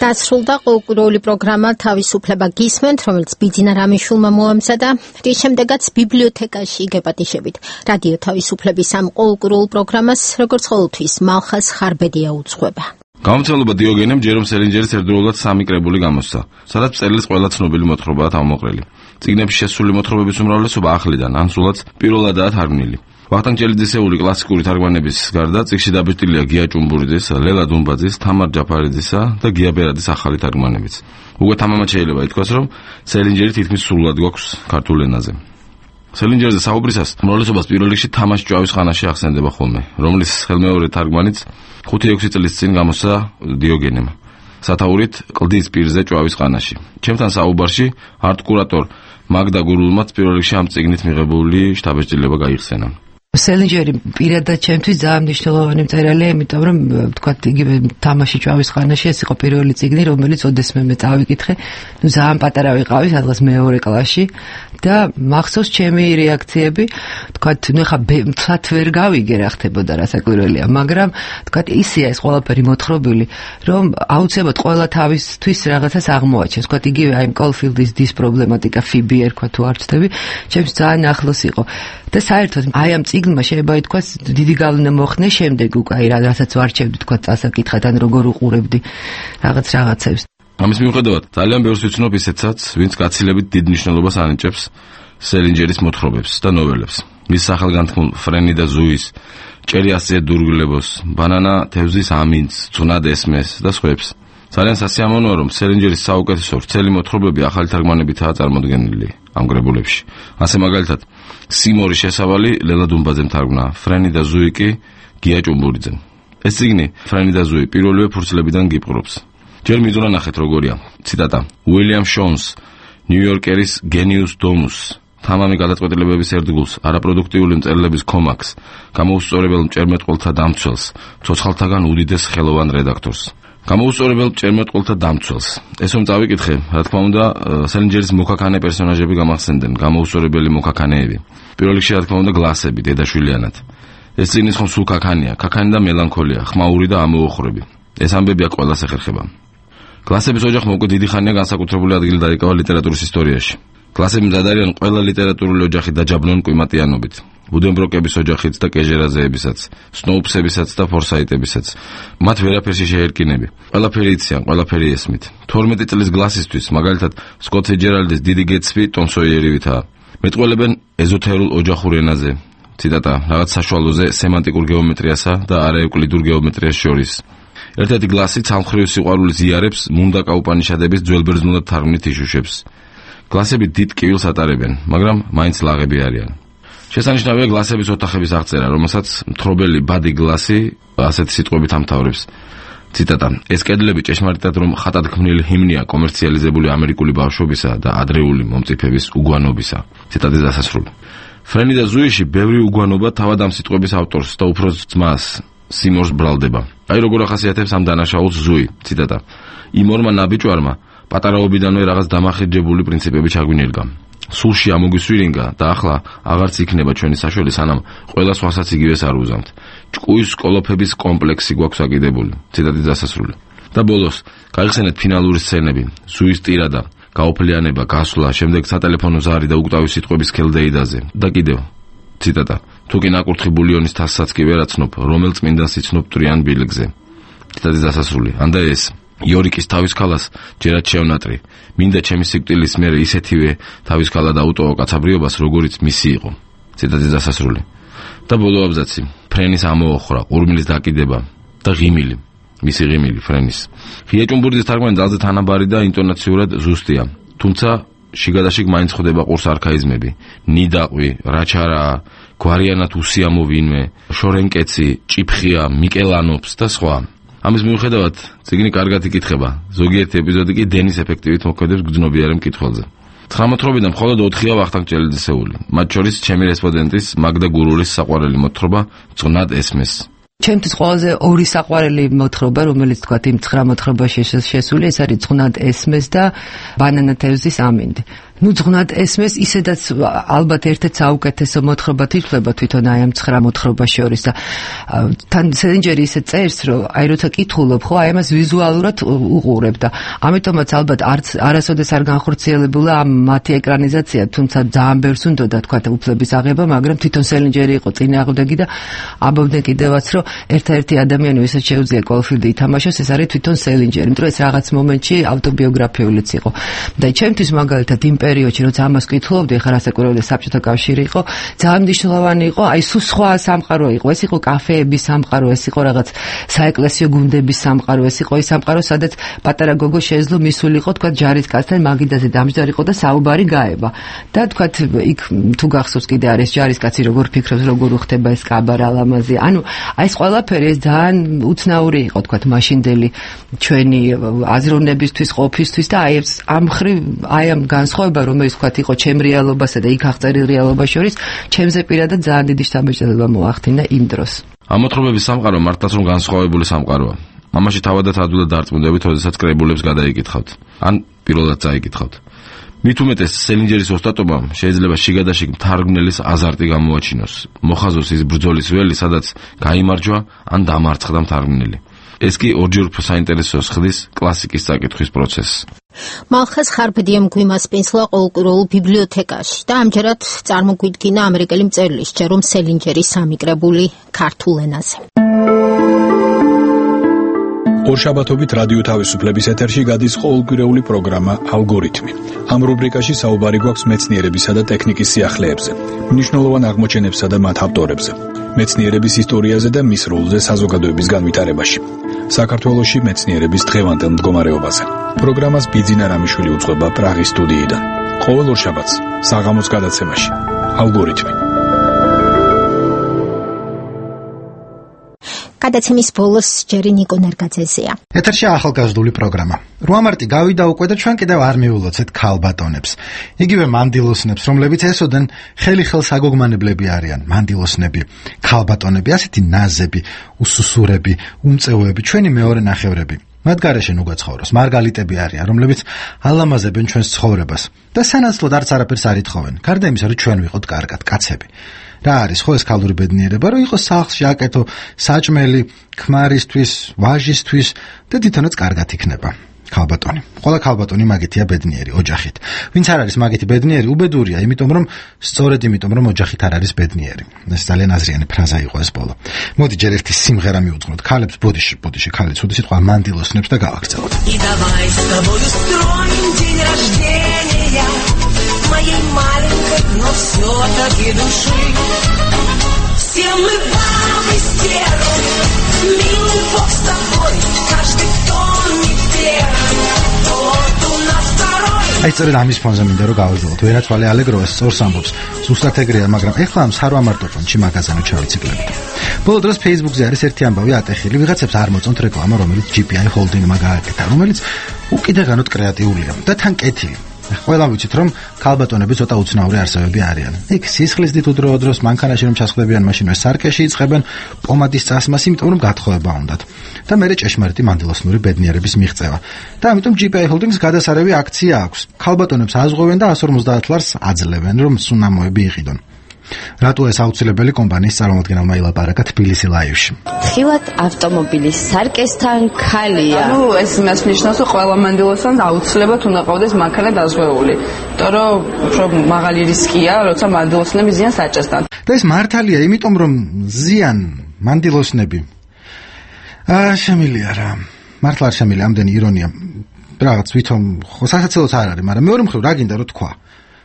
დასრულდა ყოველკვირეული პროგრამა თავისუფლება გისმენთ, რომელიც ბიძინა რამიშვილმა მოამზადა. რის შემდეგაც ბიბლიოთეკაში გეპატიშებით. რადიო თავისუფლების ამ ყოველკვირეულ პროგრამას, როგორც ყოველთვის, მალხას ხარბედია უძღვება. გამომცემლობა დიოგენემ ჯერომ სელინჯერის ერთდროულად 3 კრებული გამოსცა, სადაც წერილს ყველა ცნობილი მოთხრობაა თავმოყრილი. წიგნებში შესული მოთხრობების უმრავლესობა ახლიდან, ან სულაც პირველადაა თარგმნილი. ვახტანგ ჭელიძისეული კლასიკური თარგმანების გარდა წიგნში დაბეჭდილია გია ჭუმბურიძის, ლელა დუმბაძის, თამარ ჯაფარიძისა და გია ბერადის ახალი თარგმანებიც. უკვე თამამად შეიძლება ითქვას, რომ სელინჯერი თითქმის სრულად გვაქვს ქართულ ენაზე. სელინჯერზე საუბრისას უმრავლესობას პირველ რიგში თამაში ჭვავის ხანაში ახსენდება ხოლმე, რომლის ხელმეორე თარგმანიც 5-6 წლის წინ გამოსცა დიოგენემ. სათაურით კლდის პირზე ჭვავის ხანაში. ჩემთან საუბარში არტ-კურატორ მაგდა გურულმაც პირველ რიგში ამ წიგნით მიღებული შთაბეჭდილება გაიხსენა. სელინჯერი პირადად ჩემთვის ძალიან მნიშვნელოვანი მწერალია, იმიტომ რომ თქვა იგივე თამაში ჭვავის ხანაში ეს იყო პირველი წიგნი, რომელიც ოდესმე მე წავიკითხე. ძალიან პატარა ვიყავი, სადღაც მეორე კლასში და მახსოვს ჩემი რეაქციები, თქვა ხა თათ ვერ გავიგე რა ხდებოდა, რა საკვირველია, მაგრამ თქვა ისეა ეს ყველაფერი მოთხრობილი, რომ აუცილებლად ყველა თავისთვის რაღაცას აღმოაჩენს. თქვა იგივე აი კოლფილდის დის პრობლემატიკა, ფიბი ერქვა თუ არ ვცდები, ჩემს ძალიან ახლოს იყო. და საერთოდ აი ამ წიგნმა შეიძლება ითქვას დიდი გავლენა მოხდე შემდეგ უკვე აი რასაც ვარჩევდი თქვა წასაკითხად ან როგორ უყურებდი რაღაცებს. ამის მიუხედავად ძალიან ბევრს ვიცნობ ისეთსაც, ვინც გაცილებით დიდ მნიშვნელობას ანიჭებს სელინჯერის მოთხრობებს და ნოველებს. მის სახელგანთქმულ ფრენი და ზუის, ჭერი ასე დურგლებოს, ბანანა თევზის ამინც, ძვნად ესმეს და სხვებს. ძალიან სასიამოვნოა, რომ სელინჯერის საუკეთესო ვრცელი მოთხრობები ახალი თარგმანებითაა წარმოდგენილი ამ კრებულებში. ასე მაგალითად სიმორი შესავალი ლელა დუმბაძემ თარგმნა, ფრენი და ზუი კი გია ჭუმბურიძემ. ეს წიგნი ფრენი და ზუი პირველივე ფურცლებიდან გიპყრობს. ჯერ მიზუნა ნახეთ როგორია. ციტატა: უილიამ შონს ნიუ-იორკერის გენიუს დომუს, თამამი გადაწყვეტილებების ერთგულს, არაპროდუქტიული მწერლების კომაქს, გამოუსწორებელ მჭერმეტყველთა დამცველს, ცოცხალთაგან უდიდეს ხელოვან რედაქტორს. გამოუსწორებელ მჭერმეტყველთა დამცველს. ეს რომ წავიკითხე, რა თქმა უნდა, სელინჯერის მოქაქანე პერსონაჟები გამახსენდნენ, გამოუსწორებელი მოქაქანეები. პირველ რიგში, რა თქმა უნდა, გლასები, დედაშვილიანად. ეს წიგნის ხომ სულ ქაქანია, ქაქანი და მელანქოლია, ხმაური და ამოუხრები. ეს ამბები აქ ყველას ეხერხება. გლასების ოჯახმა უკვე დიდი ხანია განსაკუთრებული ადგილი დაიკავა ლიტერატურის ისტორიაში. გლასები მზად არიან ყველა ლიტერატურული ოჯახი დაჯაბლონ კვიმატიანობით. ბუდენბროკების ოჯახიც და კეჟერაზეებისაც, სნოუპსებისაც და ფორსაიტებისაც. მათ ვერაფერში შეერკინები. ყველაფერი იციან, ყველაფერი ესმით. 12 წლის გლასისთვის, მაგალითად, სკოტ ფიჯერალდის დიდი გეტსბი ტომ სოიერივითაა. მეტყველებენ ეზოთერულ ოჯახურ ენაზე. ციტატა, რაღაც საშუალოზე სემანტიკურ გეომეტრიასა და არაევკლიდურ გეომეტრიას შორის. ერთ-ერთი გლასი ცალმხრივ სიყვარულის იარებს მუნდაკა უპანიშადების ძველბერძნულად თარგმნით იშუშებს. გლასები დიდ კივილს ატარებენ, მაგრამ მაინც ლაღები არიან. შესანიშნავია გლასების ოთახების აღწერა, რომელსაც მთხრობელი ბადი გლასი ასეთი სიტყვებით ამთავრებს. ციტატა, ეს კედლები ჭეშმარიტად რომ ხატად ქმნილი ჰიმნია კომერციალიზებული ამერიკული ბავშვობისა და ადრეული მომწიფების უგვანობისა. ციტატის დასასრული. ფრენი და ზუიში ბევრი უგვანობა თავად ამ სიტყვების ავტორს და უფროს ძმას სიმორს ბრალდება. აი როგორ ახასიათებს ამ დანაშაულს ზუი. ციტატა, იმ ორმა ნაბიჯვარმა პატარაობიდანვე რაღაც დამახინჯებული პრინციპები ჩაგვინერგა. სულში ამოგვისვირინგა და ახლა აღარც იქნება ჩვენი საშველი, სანამ ყველა სხვასაც იგივეს არ უზამთ. ჭკუის კოლოფების კომპლექსი გვაქვს აკიდებული. ციტატის დასასრული. და ბოლოს, გაიხსენეთ ფინალური სცენები, ზუის ტირადა, გაოფლიანება, გასვლა, შემდეგ სატელეფონო ზარი და უკვდავი სიტყვების ქელდეიდაზე. და კიდევ, ციტატა, თუკი ნაკურთხი ბულიონის თასსაც კი ვერაცნობ, რომელ წმინდანს იცნობ მტრიან ბილგზე. ციტატის დასასრული. ანდა ეს იორიკის თავის ქალას ჯერაც შევნატრი. მინდა ჩემი სიკვდილის მერე ისეთივე თავის ქალა დაუტოვო კაცაბრიობას, როგორიც მისი იყო. ციტატის დასასრული. და ბოლო აბზაცი. ფრენის ამოოხრა, ყურმილის დაკიდება და ღიმილი. მისი ღიმილი ფრენის. ღია ჭუმბურდის თარგმანი ძალზე თანაბარი და ინტონაციურად ზუსტია. თუმცა შიგადაშიგ მაინც ხვდება ყურს არქაიზმები. ნიდაყვი, რაჩარაა, გვარიანად უსიამო ვინმე, შორენკეცი, ჭიფხია, მიკელანობს და სხვა. ამის მიუხედავად, წიგნი კარგად იკითხება. ზოგიერთი ეპიზოდი კი დენის ეფექტივით მოქმედებს გრძნობიარე მკითხველზე. 19-დან მხოლოდ 4-ია ვახტანგ ჭელიძისეული. მათ შორის ჩემი რესპონდენტის მაგდა გურულის საყვარელი მოთხრობა "წვნად ესმეს". ჩემთვის ყველაზე ორი საყვარელი მოთხრობა, რომელიც თქვათ იმ 9 მოთხრობაში შესული, ეს არის "წვნად ესმეს" და "ბანანა თევზის ამინდი". ძღვნად ესმეს, ისედაც ალბათ ერთ-ერთი საუკეთესო მოთხრობა თვითლება თვითონ აი ამ 9 მოთხრობას შორის და თან სელინჯერი ისე წერს, რომ აი როცა კითხულობ, ხო, აი ამას ვიზუალურად უყურებ და ამიტომაც ალბათ არასოდეს არ განხორციელებულა ამ მათი ეკრანიზაცია, თუმცა ძალიან ბევრს უნდა თქვათ უფლების აღება, მაგრამ თვითონ სელინჯერი იყო წინააღმდეგი და ამბობდნენ კიდევაც, რომ ერთ-ერთი ადამიანი, ვისაც შეუძლია კოლფილდი ითამაშოს, ეს არის თვითონ სელინჯერი, იმიტომ ეს რაღაც მომენტში ავტობიოგრაფიულიც იყო. და ჩემთვის მაგალითად იმ პერიოდში, როცა ამას კითხულობდი, ხარ ასაკურებდა საბჭოთა კავშირი იყო, ძალიან მნიშვნელოვანი იყო, აი სულ სხვა სამყარო იყო, ეს იყო კაფეების სამყარო, ეს იყო რაღაც საეკლესიო გუნდების სამყარო, ეს იყო ის სამყარო, სადაც პატარა გოგო შეეძლო მისულიყო, თქვა ჯარისკაცთან მაგიდაზე დამჯდარიყო და საუბარი გაება. და თქვა იქ თუ გახსოვს კიდე არის ჯარისკაცი როგორ ფიქრობს, როგორ უხდება ეს კაბარა ლამაზი. ანუ აი ეს ყველაფერი ეს ძალიან უცნაური იყო, თქვა მაშინდელი ჩვენი აზროვნებისთვის, ყოფისთვის და აი ამ ხრივ აი ამ განსხვავება რომელიც თქვათ იყო ჩემ რეალობასა და იქ აღწერილ რეალობას შორის, ჩემზე პირადად ძალიან დიდი შთაბეჭდილება მოახდინა იმ დროს. ამ მოთხრობების სამყარო მართლაც რომ განსხვავებული სამყაროა. მამაში თავადაც ადვილად დარწმუნდებით, როდესაც კრებულებს გადაიკითხავთ. ან პირველად წაიკითხავთ. მით უმეტეს სელინჯერის ოსტატობამ შეიძლება შიგადაშიგ მთარგმნელის აზარტი გამოაჩინოს. მოხაზოს ის ბრძოლის ველი, სადაც გაიმარჯვა ან დამარცხდა მთარგმნელი. ეს კი ორჯერ უფრო საინტერესოს ხდის კლასიკის წაკითხვის პროცესს. მალხას ხარბდიემ გვიმასპინსლა ყოველკვირეულ ბიბლიოთეკაში და ამჯერად წარმოგვიდგინა ამერიკელი მწერლის ჯერომ სელინჯერის სამიკრებული ქართულ ენაზე. ორშაბათობით რადიო თავისუფლების ეთერში გადის ყოველკვირეული პროგრამა ალგორითმი. ამ რუბრიკაში საუბარი გვაქვს მეცნიერებისა და ტექნიკის სიახლეებზე, მნიშვნელოვან აღმოჩენებსა და მათ ავტორებზე, მეცნიერების ისტორიაზე და მის როლზე საზოგადოების განვითარებაში. საქართველოში მეცნიერების დღევანდელ მდგომარეობაზე. პროგრამას ბიძინა რამიშვილი უძღვება პრაღის სტუდიიდან. ყოველ ორშაბათს საღამოს გადაცემაში ალგორითმი. გადაცემის ბოლოს ჯერი ნიკო ნერგაძეზეა. ეთერში ახალგაზრდული პროგრამა. 8 მარტი გავიდა უკვე და ჩვენ კიდევ არ მივულოცეთ ქალბატონებს. იგივე მანდილოსნებს, რომლებიც ესოდენ ხელი ხელს აგოგმანებლები არიან, მანდილოსნები, ქალბატონები, ასეთი ნაზები, უსუსურები, უმწეოები, ჩვენი მეორე ნახევრები. მათ გარეშე ნუ გაცხოვროს, მარგალიტები არიან, რომლებიც ალამაზებენ ჩვენს ცხოვრებას და სანაცვლოდ არც არაფერს არ ითხოვენ. გარდა იმისა, რომ ჩვენ ვიყოთ კარგად, კაცები. რა არის ხო ეს ქალური ბედნიერება, რომ იყოს სახლში აკეთო საჭმელი ქმარისთვის, ვაჟისთვის და თვითონაც კარგად იქნება. ქალბატონი. ყველა ქალბატონი მაგითია ბედნიერი ოჯახით. ვინც არ არის მაგითი ბედნიერი, უბედურია, სწორედ იმიტომ რომ ოჯახით არ არის ბედნიერი. ეს ძალიან აზრიანი ფრაზა იყო ეს ბოლო. მოდი ჯერ ერთი სიმღერა მივუძღვნოთ. ქალებს ბოდიში, ქალი ცუდი სიტყვა მანდილოსნებს და გავაგრძელოთ. И давай с тобою строим день рождения моей маленькой, но все-таки души. Все мы бабы стервы, милый Бог с тобой, каждый кто не первый, тот у нас второй. აი სწორედ ამის ფონზე მინდა რომ გავაძლოთ. ვერაცვალე ალეგროა სწორს ამბობს. ზუსტად ეგრეა, მაგრამ ეხლა ამ სარვამარტოფონში მაგაზანო ჩავიციკლებთ. ბოლო დროს Facebook-ზე არის ერთი ამბავი ატეხილი, ვიღაცებს არ მოწონთ რეკლამა, რომელიც GPI Holding-მა გააკეთა, რომელიც უკიდაღანოდ კრეატიულია და თან კეთილი. ყველა ვიცით რომ ქალბატონები ცოტა უცნაური არსებები არიან. იქ სისხლის დიდ უდროოდროს მანქანაში რომ ჩასხდებიან, მაშინვე სარკეში იწყებენ პომადის წასმას, იმიტომ რომ გათხოვება უნდათ. და მერე ჭეშმარიტი მანდილოსნური ბედნიერების მიღწევა. და ამიტომ GPI Holdings გადასარევი აქცია აქვს. ქალბატონებს აზღვევენ და 150 ლარს აძლევენ, რომ სუნამოები იყიდონ. რატო ეს აუცილებელი კომპანიის წარმომადგენელმა ილაპარაკა თბილისი ლაივში. ხილად ავტომობილის სარკესთან ქალია. ეს იმას ნიშნავს, რომ ყველა მანდილოსანს აუცილებლად უნდა ყავდეს მანქანა დაზღვეული. იმიტომ რომ უფრო მაღალი რისკია, როცა მანდილოსნები ზიანს აჭასთან. და ეს მართალია, იმიტომ რომ ზიან მანდილოსნები. შემილია რა. მართლა არ შემილია ამდენი ირონია. რაღაც ვითომ ხო სასაცილოც არ არის, მაგრამ მეორე მხრივ რა გინდა რომ თქვა.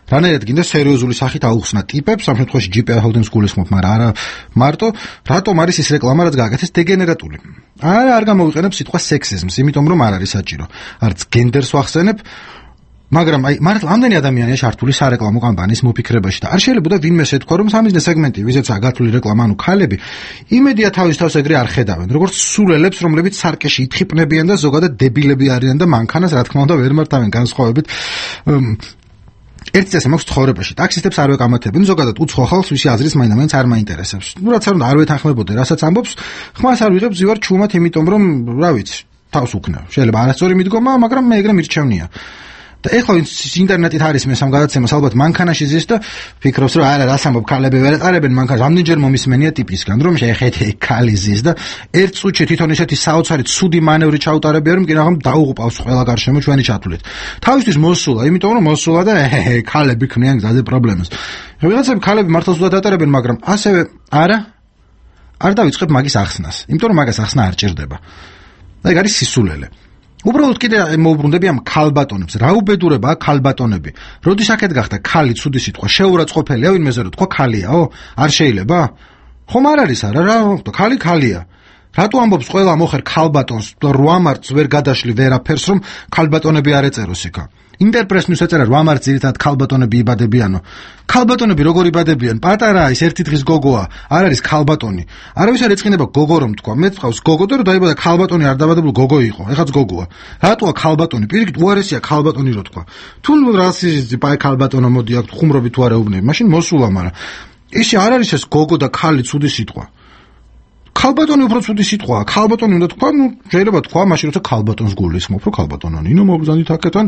რანაირად გინდა სერიოზული სახით აუხსნა ტიპებს, ამ შემთხვევაში GPI Holdings გულისხმობ, მაგრამ არა მარტო, რატომ არის ის რეკლამა, რაც გააკეთეს დეგენერატული. არ გამოვიყენებ სიტყვა სექსიზმს, იმიტომ რომ არ არის საჭირო. არც გენდერს ვახსენებ, მაგრამ მართლა ამდენი ადამიანია ჩართული სარეკლამო კამპანიის მოფიქრებაში და არ შეიძლება ვინმე შეთქვა, რომ სამიზნე სეგმენტი, ვიზეცაა გათვლილი რეკლამა, ანუ ქალები, იმედია თავის თავს ეგრე არ ხედავენ, როგორც სულელებს, რომლებიც სარკეში ითხიპნებიან და ზოგადად დებილები არიან და მანქანას რა თქმა უნდა ვერ მართავენ განსხვავებით ერთი წესი მაქვს ცხოვრებაში. ტაქსისტებს არ ვეკამათებენ, ზოგადად უცხო ხალხს ვისი აზრის მაინც არ მაინტერესებს. რაც არ უნდა არ ვეთანხმებოდე, რასაც ამბობს, ხმას არ ვიღებ ზივარ ჩუმად, იმიტომ რომ რა ვიცი, თავს უკნევ. შეიძლება არასწორი მიდგომა, მაგრამ მე ეგრე მირჩევნია. და ეხლა ვინც ინტერნეტით არის მე სამ გადაცემას ალბათ მანქანაში ზის და ფიქრობს რომ არა რას ამბობ ქალები ვერ ატარებენ მანქანას ამდენჯერ მომისმენია ტიპისგან რომ შეეხეთ ქალი ზის და ერთ წუთში თვითონ ისეთი საოცარი ცუდი მანევრი ჩაუტარებია რომ კი რაღაც დაუღუპავს ყველა გარშემო ჩვენი ჩათვლით თავისთვის მოსულა იმიტომ რომ მოსულა და ქალები ქმნიან გზაზე პრობლემას ვიღაცები ქალები მართლა ზუსტად ატარებენ მაგრამ ასევე არ დავიწყებ მაგის ახსნას იმიტომ რომ მაგას ახსნა არ ჭირდება და ეგ არის სისულელე უბრალოდ კიდე მოუბრუნდები ამ ქალბატონებს. რა უბედურებაა ქალბატონები? როდის აქეთ გახდა ქალი ცუდი სიტყვა? შეურაცხყოფელია ვინმეზე რომ თქვა ქალიაო? არ შეიძლება? ხომ არ არის არა რა? ქალი ქალია. რატო ამბობს ყველა მოხერ ქალბატონს 8 მარტს ვერ გადაშლი ვერაფერს რომ ქალბატონები არ ეწეროს იქა? ინტერპრესს ეწერა 8 მარტს ძირითადად ქალბატონები იბადებიანო. ქალბატონები როგორ იბადებიან? პატარაა ის ერთი დღის გოგოა, არ არის ქალბატონი. არავის არ ეწყინება გოგო რომ თქვა. მე თქვავს გოგო და რომ დაიბადა ქალბატონი არ დაბადებულ გოგო იყო. ეხაც გოგოა. რატოა ქალბატონი? პირიქით უარესია ქალბატონი რო თქვა. თუ რასიზმი პაი ქალბატონო მოდი აქ ხუმრობი თუ არ ეუბნები, მაშინ მოსულა, მაგრამ ისე არ არის ეს გოგო და ქალი ცუდი სიტყვა. ქალბატონი უფრო ცუდი სიტყვაა. ქალბატონი უნდა თქვა, შეიძლება თქვა, მაშინ როცა ქალბატონს გულისხმობ, რომ ქალბატონო ნინო მოგზანდით აქეთან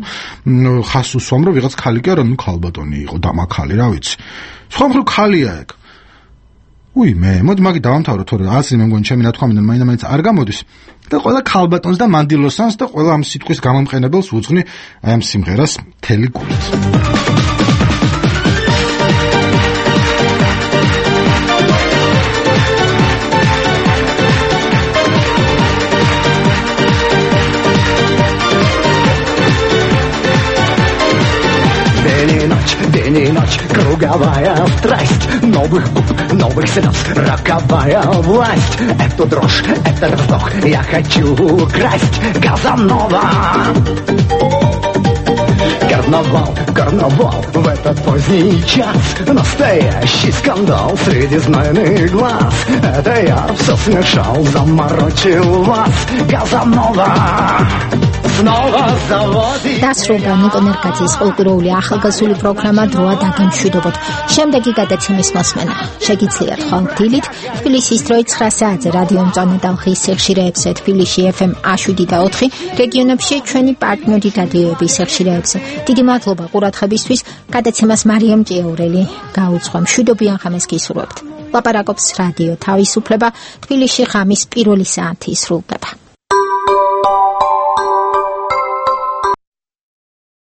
ხას უსვამ, რომ ვიღაც ქალი კი არა, ქალბატონი იყო, დამაქალი, რა ვიცი. სხვა მხრივ ქალია ეგ. მოდი მაგი დავამთავრო, თორე ასე მე მგონი ჩემი ნათქვამიდან მაინც არ გამოდის. და ყველა ქალბატონს და მანდილოსანს და ყველა ამ სიტყვის გამომყენებელს უძღვნი აი ამ სიმღერას მთელი გულით. День и ночь, круговая страсть новых губ, новых слез, роковая власть. Эту дрожь, этот вздох я хочу украсть. Казанова Карнавал в этот поздний час. Настоящий скандал среди знойных глаз. Это я все смешал, заморочил вас. Казанова снова заводит. დასრულდა ნიკო ნერკაძის პოლიტიკური ახალგაზრდული პროგრამა დროა დაგემშვიდობოთ. შემდეგი გადაცემის მოსმენა შეგიძლიათ ხომ დილით თბილისის დროით 9 საათზე რადიო მწვანე ტალღის ეხშირეებზე თბილისში FM 7 და 4 რეგიონებში ჩვენი პარტნიორი რადიოების ეხშირეებზე. დიდი მადლობა ყურადღებისთვის. გადაცემას მარიამ ჭიაურელი გაუძღვა. მშვიდობიან ღამეს გისურვებთ. ლაპარაკობს რადიო თავისუფლება. თბილისში ღამის პირველი საათი სრულდება.